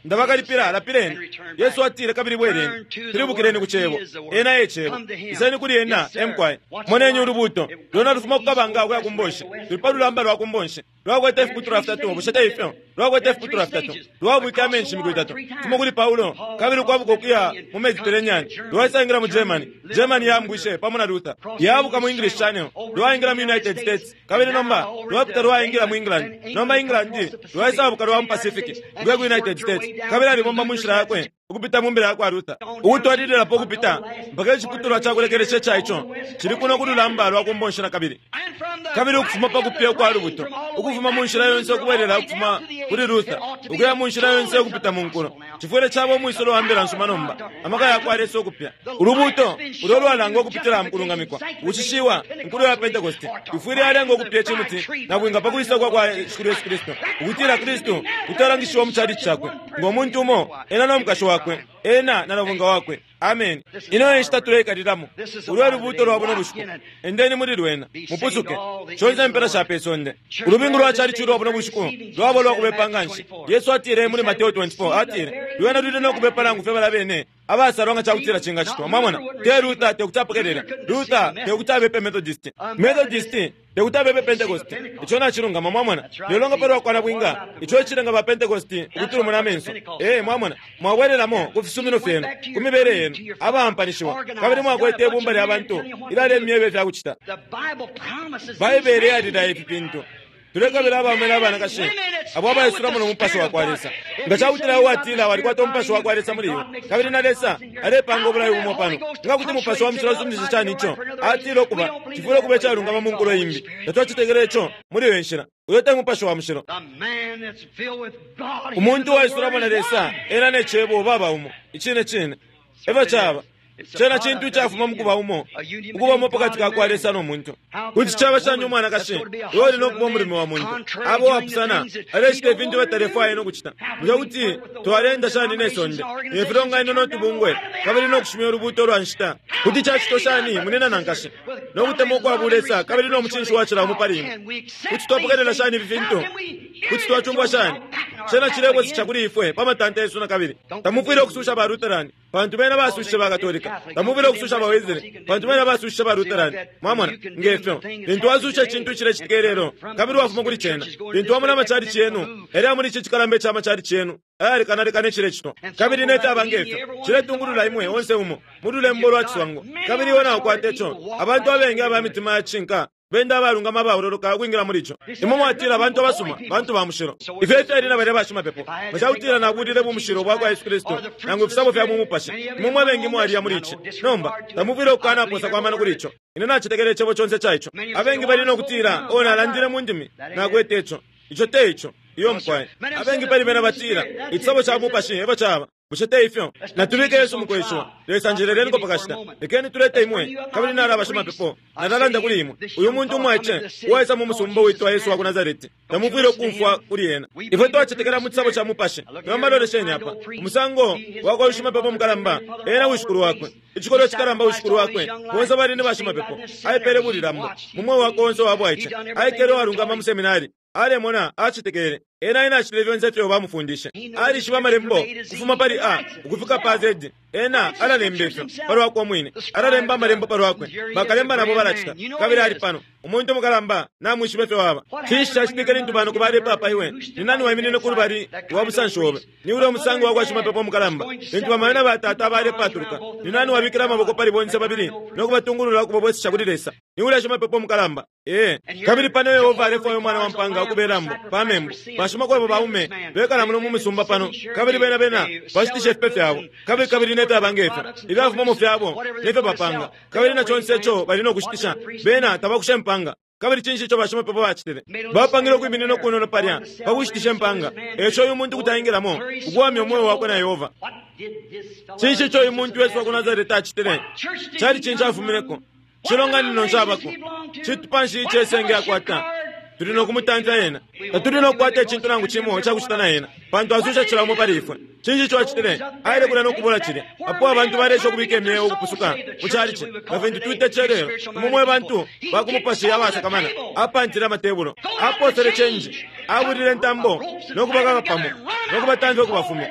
Speaker 1: Ndabakalipila, lapileni. Yesu atile, kabili bweleni. Pilibukileni ku Cebo. Ena e Cebo. Iseni kuli Ena, e mukwai. Moneni Ulubuuto. Lwena lufuma ku kabanga ukuya ku mbonshi. Luli pa lulamba lwa ku mbonshi. Lwakwete ifiputulwa fitatu, bushe te ifyo? Lwakwete ifiputulwa fitatu. Lwaabwike amenshi imiku itatu. Fuma kuli Paulo, kabili ukwabuka ukuya mu Mediterranean. Lwaisangila mu Germany. Germany yaambwishe, pamo na Luther. Yaabuka mu English Channel. Lwaingila mu United States. Kabili nomba, lwapita lwaingila mu England. Nomba England, lwaisaabuka lwa mu Pacific, ukuya ku United States. Kabili alibomba mu nshila yakwe, ukupita mu mbila yakwa Luther. Ukutwalililapo ukupita, mpaka iciputulwa ca kulekelesha ica ico, cili kuno ku lulamba lwa ku mbonshi na kabili. Kabili ukufuma pa kupya ukwa lubuto, ukufuma mu nshila yonse ukubwelela ukufuma kuli Luther, ukuya mu nshila yonse ukupita mu nkulo, cifwile caba umwisolo wa mbila nsuma nomba, amaka yakwa Lesa ukupya. Ulubuuto ulo ulwalangwa ukupitila mu kulungamikwa, ukushishiwa, inkulo ya Pentekoste, ifwile yalenga ukupya icimuti nabwinga pa kwisa kwa kwa Shikulu Yesu Kristu, ukutila Kristu kuti alangishiwa mu chalichi cakwe ngo muntu umo, ena no mukashi wakwe, ena na nabwinga wakwe. Ameni. Ino e nshita tuleikalilamo. Ulu e lubuuto lwa buno bushiku. Endeni muli lwena, mupusuke. Shonse impela sha pe sonde. Ulubingu lwa chalichi ulwa buno bushiku lwaba ulwa kubepa nga nshi. Yesu atile muli Mateo 24, atile, Lwena luli no kubepa nangu fye balya bene abasalwa nga ca kutila cingacitwa. Mwamona? Te Luther te kuti apokelele. Luther te kuti abepe Methodist. Methodist te kuti abepe Pentecost. Ico nacilungama, mwamona. Lelo nga palwa kwa nabwinga, ico ecilenga ba Pentecost ukutulumuna amenso. Ee, mwamona. Mwabwelelamo ku fisumino fyenu, ku mibele yenu, abaampanishiwa, kabili mwakwete ibumba lya bantu ilyalemyeba ifya kucita. Baibele yalilaya ifi fintu. Tulekabila abaume na banakashi abo abaisulamo no Mupashi wa kwa Lesa. Nga ca kutila iwe watila walikwata Umupashi wa kwa Lesa muli iwe, kabili na Lesa alepanga ubulayo bumo pano, nga kuti Mupashi wa Mushilo asuminisha shani ico? Atile ukuba, cifwile ukuba icalungama mu nkulo imbi. Tatwacetekela ico muli iyo nshila. Uyo te Mupashi wa Mushilo. Umuntu uwaisulamo na Lesa, ena ne Cebo baba umo. Icine cine. Efyo caba. Cena cintu icafuma mu kuba umo, ukuba umo pakati ka kwa Lesa no muntu. Kuti caba shani umwanakashi uyo uli no kuba umulume wa muntu aba uwapusana, alecita ifintu batalefwaya no kucita? Bushe kuti twaleenda shani ne sonde, ne filonganino no tubungwe, kabili no kushimya ulubuuto lwa nshita? Kuti cacitwa shani, munina na nkashi, no kutemwa ukwa bulesa kabili no mucinshi wacila umo pali imwe? Kuti twapokelela shani ifi fintu? Kuti twacumfwa shani? Cena cilebwesesha kuli ifwe pa matanta yesu na kabili. Tamufwile ukususha ba Lutheran, pantu bena basushishe ba Katolika. Tamufwile ukususha ba Wesley, pantu bena basushishe ba Lutheran. Mwamona? Nge fyo, lintu wasusha icintu icilecitika ilelo, kabili wafuma kuli cena, lintu wamona amachalichi yenu, yalya muli ici cikalamba ica machalichi yenu, ayalekanalekana icilecitwa, kabili ne fyaba nge fyo, ciletungulula imwe onse umo mu lulembo lwa ciswango. Kabili iwe naukwata ico. Abantu abengi aba mitima ya cishinka. Benda abalungama abaololoka ukwingila muli ico. Imwe mwatila bantu abasuma, bantu ba mushilo. Ifyo efyali na balya bashimapepo. Nga cakutila nabulile bumushilo bwakwa Yesu Kristu nangu ifisabo fya mu Mupashi, imwe mwe bengi mwaliya muli ici. Nomba, tamufwile ukukanapoosako amano kuli ico. Ine nacetekela Icebo conse ca ico. Abengi bali no kutila, Oh, nalandile mu ndimi. Nakwete ico. Ico te ico. Iyo, mukwai. Abengi pali bena batila, Icisabo ca Mupashi efyo caba. Bushe te ifyo? Natubike Yesu mukweshiwa. Lesa njeleleniko pa kashita. Lekeni tulete imwe, kabili nalaba shimapepo. Nalalanda kuli imwe. Uyu muntu umwaice uwaisa mu musumba uwitwa Yesu wa ku Nasareti, tamufwile ukumfwa kuli ena. Ifwe twacetekela mu cisabo ca Mupashi. Nomba lolesheni apa. Umusango wakwa uyu shimapepo mukalamba, ena wishikulu wakwe. Icikolwe cikalamba wishikulu wakwe, bonse bali ni bashimapepo. Aipele bulilambo mu mweo wakwe onse uwa bwaice. Aikele uwalungama mu seminari. Alemona, acetekele. Ena ena acitile fyonse ifyo bamufundishe. Alishiba Amalembo ukufuma pali A ukufika pa Z. Ena alalemba ifyo pa lwakwe umwine. Alalemba Amalembo pa lwakwe. Bakalemba nabo balacita. Kabili ali pano, umuntu mukalamba, namwishiba ifyo aba. Cinshi cacitike lintu banoko balepapa iwe? Ni nani waiminine ku lubali lwa busanshi obe? Ni ulya umusango wa kwa shimapepo mukalamba. Lintu bamayo na batata balepatuluka, ni nani wabikile amaboko pali bonse babili no kubatungulula ukubabwesesha kuli Lesa? Ni ulya shimapepo mukalamba. Ee. Kabili pano Yehova alefwaya umwana wa mpaanga ukube lambo pa membu. Bashimakwebo baume bekala muno mu misumba pano, kabili bena, bena bashitisha ifipe fyabo, kabili, kabili ne fyaba nge fyo, ifyafumamo fyabo ne fyo bapanga, kabili na conse ico bali no kushitisha. Bena tabakusha impanga. Kabili cinshi ico bashimapepo bacitile? Bapangile ukwiminina ukunono palya pa kushitisha impanga. E ico uyu muntu kuti aingilamo, ukuwamya umweo wakwe na Yehova. Cinshi ico uyu muntu Yesu wa ku Nasarete acitile? Cali cinshi afumineko? Cilonganino nshi abako? Citupa nshi ice senge akwata? Tuli no kumutamfya ena. Tatuli no kukwata icintu nangu cimo icakucita na ena, pantu asusha cila umo pali ifwe. Cinshi ico acitile? Aile kulya no kubula cilya. Apo abantu baleesha ukubika imyeo ukupusuka mu calici, nga fintu twita ici ilelo, imwe mwe bantu ba ku mupashi abasakamana, apantile amatebulo, aposele cenji, abulile intambo, no kubakaka pamo, no kubatamfya ukubafumya,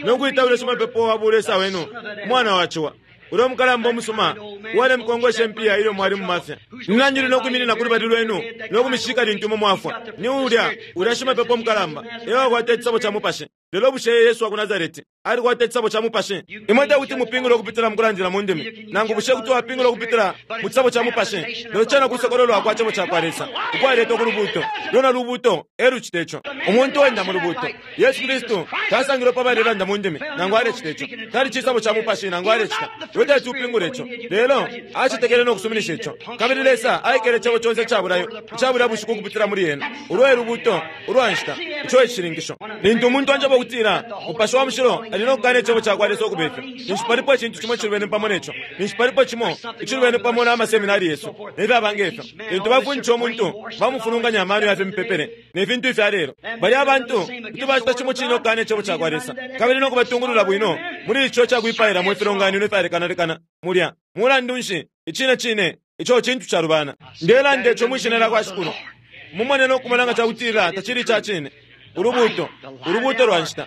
Speaker 1: no kwita ulya shimapepo wa bulesa wenu umwana wa ciwa. Ulya umukalamba umusuma uwalemukongwesha impiya ilyo mwali mu mafya. Ni nani uli no kwiminina ku lubali lwenu no kumishika lintu imwe mwafwa? Ni ulya, ulya shimapepo mukalamba e wakwata icisabo ca Mupashi. Lelo bushe Yesu wa ku Nasareti alikwata icisabo ca Mupashi? Imwe te kuti mupingule ukupitila mu kulandila mu ndimi, nangu bushe kuti wapingula ukupitila mu cisabo ca Mupashi? Lelo cena kusokololwa kwa Cebo cakwa Lesa ukwaletwa ku lubuuto. Lwena lubuuto e lucita ico. Umuntu uwenda mu lubuuto. Yesu Kristu tasangilwe pa balelanda mu ndimi, nangu alecita ico. Tali cisabo ca Mupashi nangu alecita. Iwe teti upingule ico. Lelo acetekele no kusuminisha ico. Kabili Lesa aikele Cebo conse ica bulayo ica bulya bushiku ukupitila muli ena. Ulwo e Lubuuto ulwa nshita. Ico e cishininkisho. Lintu umuntu anjeba ukutila Mupashi wa Mushilo ali no kukana Icebo cakwa Lesa ukube fyo, ninshi palipo icintu cimo icilubene pamo ne co. Ninshi palipo cimo icilubene pamo na maseminari yesu ne fyaba nge fyo. Lintu bafundisha umuntu, bamufulunganya amano ya fimipepele ne fintu ifya lelo. Balya abantu kuti bacita cimo cine ukukana Icebo cakwa Lesa kabili no kubatungulula bwino muli ico cakwipailamo ifilonganino ifyalekanalekana mulya. Mulandu nshi, icine cine, ico cintu calubana. Ndelanda ico mwi Shina lyakwa Shikulu. Mumone no kumona nga cakutila tacili ica cine. Ulubuuto, ulubuuto lwa nshita.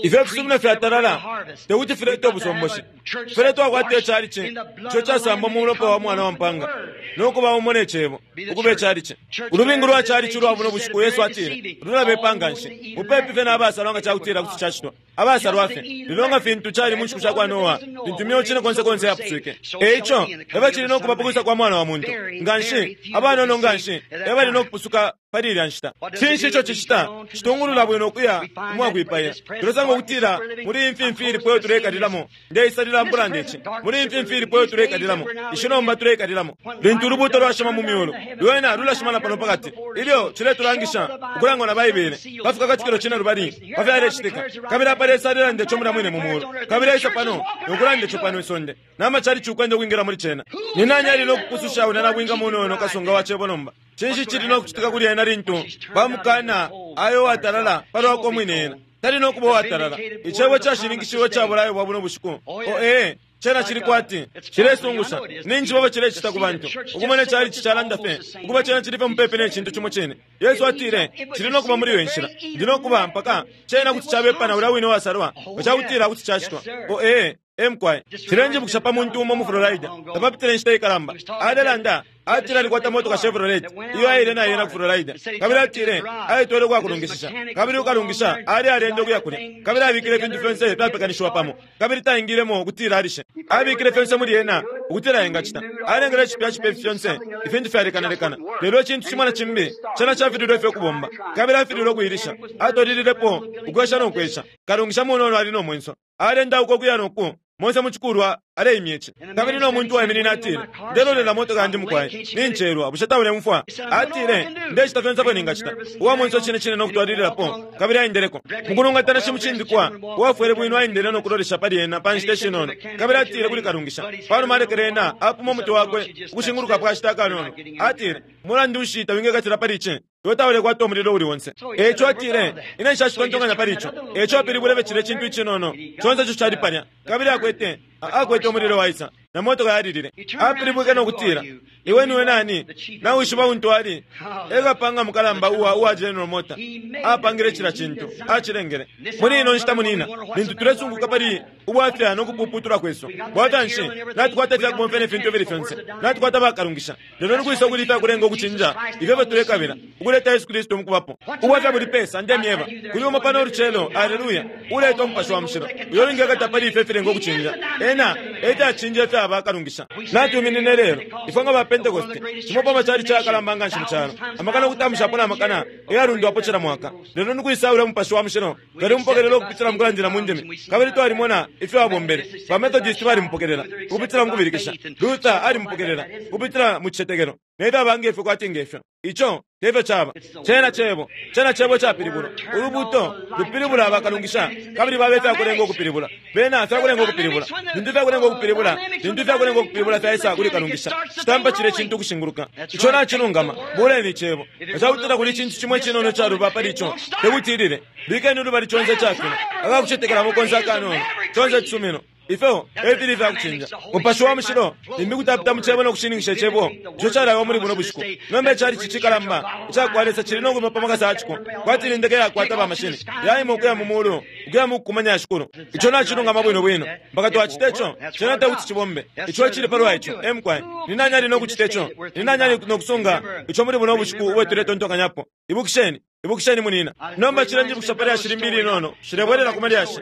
Speaker 1: Ifyo ifisumino fyatalala te kuti filete ubusomboshi. Tufwile twakwata icalici ico casambwa mu mulopa wa Mwana wa mpaanga no kuba umo ne Cebo, ukuba icalici. Ulubingu lwa calici ulwa buno bushiku, Yesu atile, lulabepa nga nshi, mupepi fye na basalwa nga ca kutila kuti cacitwa. Abasalwa fye. Lelo nga fintu cali mu nshiku sha kwa Noa, lintu imyeo cine konse konse yapuswike, e ico e fyo cili no kuba pa kwisa kwa Mwana wa muntu. Nga nshi, abanono nga nshi e bali no kupusuka pali ilya nshita. Cinshi ico cicita? Citungulula bwino ukuya umwakwipaila. Tulesanga ukutila muli iyi mfimfi ilipo iyo tuleikalilamo, ndeisalila mukulanda ici, muli iyi mfimfi ilipo iyo tuleikalilamo, ishi nomba tuleikalilamo, lintu ulubuuto lwashima mu myulu, lwena lulashima na pano pakati, ilyo ciletulangisha ukulangwa na Baibele pa Fikakatikilo Cinelubali pa fyalecitika. Kabili apa Lesa alelanda ico mulya mwine mu mulu, kabili aisa pano no kulanda ico pano isonde, na machalichi ukwenda ukwingila muli cena. Ni nani ali no kupususha ulya nabwinga munono kasunga wa Cebo nomba? Cinshi cili no kucitika kuli ena lintu bamukana ayo uwatalala pa lwakwe umwine ena? Tali no kuba uwatalala. Icebo cashininkishiwe ica bulayo bwa buno bushiku. Oh, ee, cena cili kwati, cilesungusha. Ninjishiba ifyo cilecita ku bantu, ukumona ichalichi calanda fye ukuba cena cili fye mupepi ne cintu cimo cine. Yesu atile, Cili no kuba muli iyo inshila. Ndi no kuba mpaka cena kuti cabepa na ulya wine uwasalwa, nga cakutila kuti cacitwa. Oh, ee. Ee, mukwai. Cilenjibukisha pa muntu umo mu Florida, tapapitile inshita ikalamba. Alelanda. Atile alikwata motoka Chevrolet iyo aile na yena ku Florida. Kabili atile aitwele kwa kulungishisha. Kabili ukalungisha ali alende ukuya kulya. Kabili abikile ifintu fyonse fyapekanishiwa pamo. Kabili taingilemo ukutila alishe. Abikile fyonse muli ena ukutila engacita. Alengele cipya cipya fyonse ifintu fyalekanalekana. Lelo icintu cimo na cimbi cena cafililwe fye ukubomba. Kabili afililwe ukuilisha. Atwalililepo ukwesha no kwesha. Kalungisha munono ali no mwenso. Alenda uko kuya noku monse muchikulwa aleimya ici. Kabili no muntu waiminine atile, ndelolela motoka yandi mukwai, nincelwa, bushe taulemfwa? Atile, ndecita fyonse apo ningacita. Uwa mwenso cine cine no kutwalililapo, kabili aendeleko. Mukulungatana shimucindikwa, uwafwele bwino aendele no kulolesha pali ena pa nshita ishinono. Kabili atile kuli kalungisha, panuma alekele ena apuma umutwe wakwe ukushinguluka pa kashita akanono. Atile, mulandu nshi tawingekatila pali ici? Iwe taulekwata umulilo uli onse. Eco atile, ine nshacitontonkanya pali ico. Eco apilibwile fye cilya cintu icinono, conse ico cali palya. Kabili akwete, akwete umulilo waisa, na motoka yalilile. Apilibwike no kutila, iwe niwe nani? Nawishiba untu ali? E kapanga mukalamba uwa uwa General Motor. Apangile cila cintu, acilengele. Muli ino nshita munina, lintu tulesunguka pali ubwafya no kupuputula kwesu. Bwafya nshi? Natukwata ifya kubomfya ne fintu ifili fyonse. Natukwata bakalungisha. Lelo nikwisa ukuli ifya kulenga ukucinja ifyo fyo tulekabila, ukuleta Yesu Kristu mukubapo. Ubwafya buli pesa, ndemyeba. Kuli umo pano ulucelo, aleluya, uleta umupashi wa mushilo. Uyo ulingekata pali ifyo ifilenga ukucinja. Ena e fyacinja ifya bakalungisha. Natuminine lelo, ifwe nga ba Pentekoste, cimo pa macali cakalamba nga nshi mu calo. Amakana ukutamushapo na makana eyalundwapo cila mwaka. Lelo nikwisaula umupashi wa mushilo, twalimupokelela ukupitila mu kulandila mu ndimi. Kabili twalimona ifyo abombele. Ba Methodist balimupokelela ukupitila mu kubilikisha. Luther alimupokelela ukupitila mu cicetekelo. Ne fyaba nge fyo kwati nge fyo. Ico te fyo caba. Cena cebo. Cena cebo capilibulwa. Ulubuto lupilibula abakalungisha, kabili babe ifyakulenga ukupilibula. Bena fyakulenga ukupilibula. Lintu ifyakulenga ukupilibula, lintu ifyakulenga ukupilibula fyaisa kuli kalungisha, citampa cilya cintu ukushinguluka. Ico nacilungama. Buleni icebo. Nga ca kutila kuli icintu cimo icinono icaluba pali ico, tekuti ilile. Bikeni ulubali conse icafina, akakucetekelamo konse akanono, conse icisumino. Ifyo e fili ifya kucinja. Mupashi wa Mushilo limbi kuti apita mu Cebo no kushininkisha Icebo ico calaiwa muli buno bushiku. Nomba icalici cikalamba ica kwa Lesa cili no kwima pa makasa ya ciko, kwati ni ndeke yakwata bamashini, yaima ukuya mu mulu, ukuya mu kukumanya Shikulu. Ico nacilungama bwino bwino. Mpaka twacita ico, cena te kuti cibombe. Ico ecili palwa ico. E mukwai. Ni nani ali no kucita ico? Ni nani ali no kusunga ico muli buno bushiku ubo tuletontonkanyapo? Ibukisheni, ibukisheni munina. Nomba cilenjibukisha pa lyashi limbi ilinono. Nshilebwelela ku malyashi.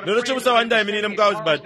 Speaker 1: Lelo cibusa wandi aiminine mu Carlsbad,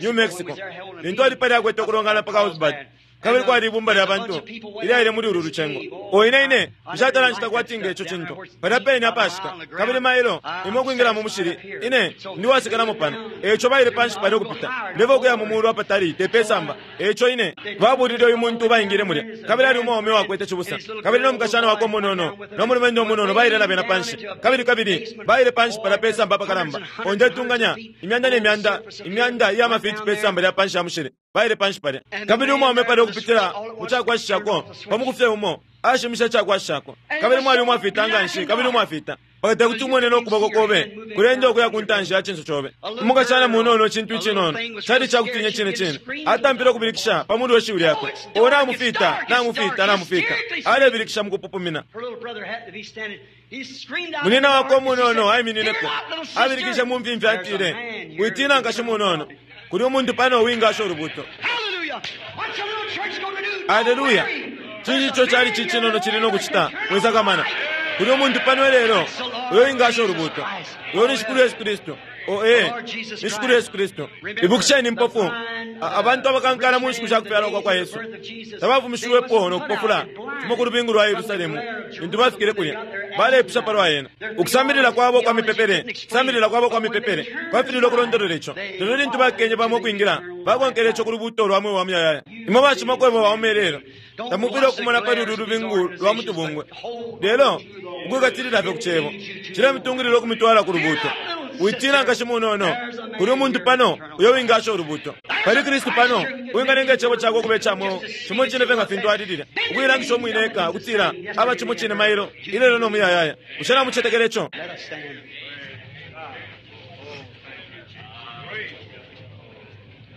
Speaker 1: New Mexico, lintu ali palya akwete ukulongana pa Carlsbad, kabili kwali ibumba lya bantu ilyaile muli ulu lucengo. O ine ine nshatala ncita kwati nge ico cintu. Palya pene apashika, kabili mailo imwe ukwingila mu mushili, ine ndi wasekelamo pano. Eico baile panshi palya ukupita, ndeva ukuya mu mulu apatali te pe samba. Eico ine babulile uyu muntu baingile mulya, kabili ali umwaume uwakwete cibusa, kabili no mukashana wakwe umunono no mulumendo umunono baile na bena panshi, kabili kabili baile panshi palya pe samba apakalamba. O ndetunganya imyanda ne myanda, imyanda iya mafiti pe samba lya panshi ya mushili. Baile panshi palya. Kabili umwaume palya ukupitila mu cakwashishako, pa muku fye umo, ashimishe icakwashishako. Kabili mwali umwafita nga nshi, kabili umwafita. Mpaka te kuti umone no kuboko kobe kulenda ukuya ku ntanshi ya cinso cobe. Umukashana munono, icintu icinono, cali icakutiinya icine cine. Atampile ukubilikisha pa mulu we shiwi lyakwe. O namufita, namufita, namufita. Alebilikisha mu kupupumina. Munyina wakwe umunono aiminineko. Abilikishe mu mfimfi atile, Witiina nkashi munono. Kuli umuntu pano uwingasha ulubuto. Aleluya! Cinshi ico cali cicinono cili no kucita? Mwisakamana. Kuli umuntu pano ilelo uyo wingasha ulubuto. Uyo ni Shikulu Yesu Kristu. O ee, ni Shikulu Yesu Kristu. Ibukisheni impofu, abantu abakankala mu nshiku sha kufyalwa kwa kwa Yesu, tabafumishiwepo no kupofula fuma ku lubingu lwa Yerusalemu lintu bafikile kulya. Baleipusha palwa ena. Ukusambilila kwabo kwa mipepele, ukusambilila kwabo kwa mipepele kwafililwe ukulondolola ico. Lelo lintu bakenye bamo ukwingila, bakonkele ico ku lubuuto lwa mweo wa muyayaya. Imwe bashimakwebo baume ilelo, tamufwile ukumona pali ulu lubingu lwa mu tubungwe, lelo ukwikatilila fye ku Cebo cilemitungilila ukumitwala ku lubuuto. Witiina nkashi munono, kuli umuntu pano uyo wingasha ulubuuto. Pali Kristu pano uwingalenga Icebo Cakwe ukuba ica mweo, cimo cine fye nga fintu Ali lilya, ukuilangisha umwine eka ukutila aba cimo cine mailo, ilelo no muyayaya. Bushe namucetekela ico?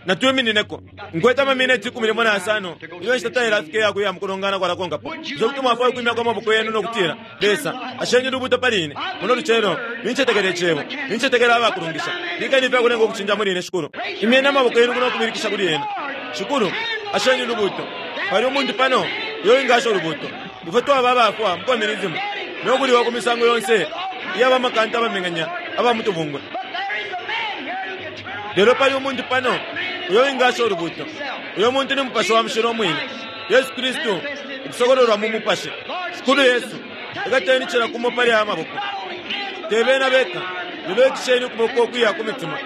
Speaker 1: Natwiminineko. Nkwete amamineti 15 ilyo inshita tailafika iya kuya mu kulongana kwalakonkapo. Bushe kuti mwafwaya ukwimyako amaboko yenu no kutila, Lesa, asheni ulubuuto pali ine, muno lucelo. Nincetekela Icebo. Nincetekela abakulungisha. Bikeni ifya kulenga ukucinja muli ine, Shikulu. Imyeni amaboko yenu kuno kubilikisha kuli Ena. Shikulu, asheni ulubuuto. Pali umuntu pano uyo wingasha ulubuuto. Ifwe twaba abafwa mu communism no kuliwa ku misango yonse iya bamakanta abameng'anya aba mu tubungwe. Lelo pali umuntu pano uyo wingasha ulubuuto. Uyo muntu ni Mupashi wa Mushilo umwine, Yesu Kristu ukusokololwa mu Mupashi. Shikulu Yesu, ikateni cila kumo pali aya maboko. Te bena beka, lelo ikisheni ukuboko ukuya ku mitima,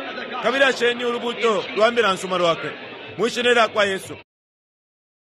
Speaker 1: kabili asheni ulubuuto lwa Mbila nsuma Lwakwe. Mwi Shina ilya kwa Yesu.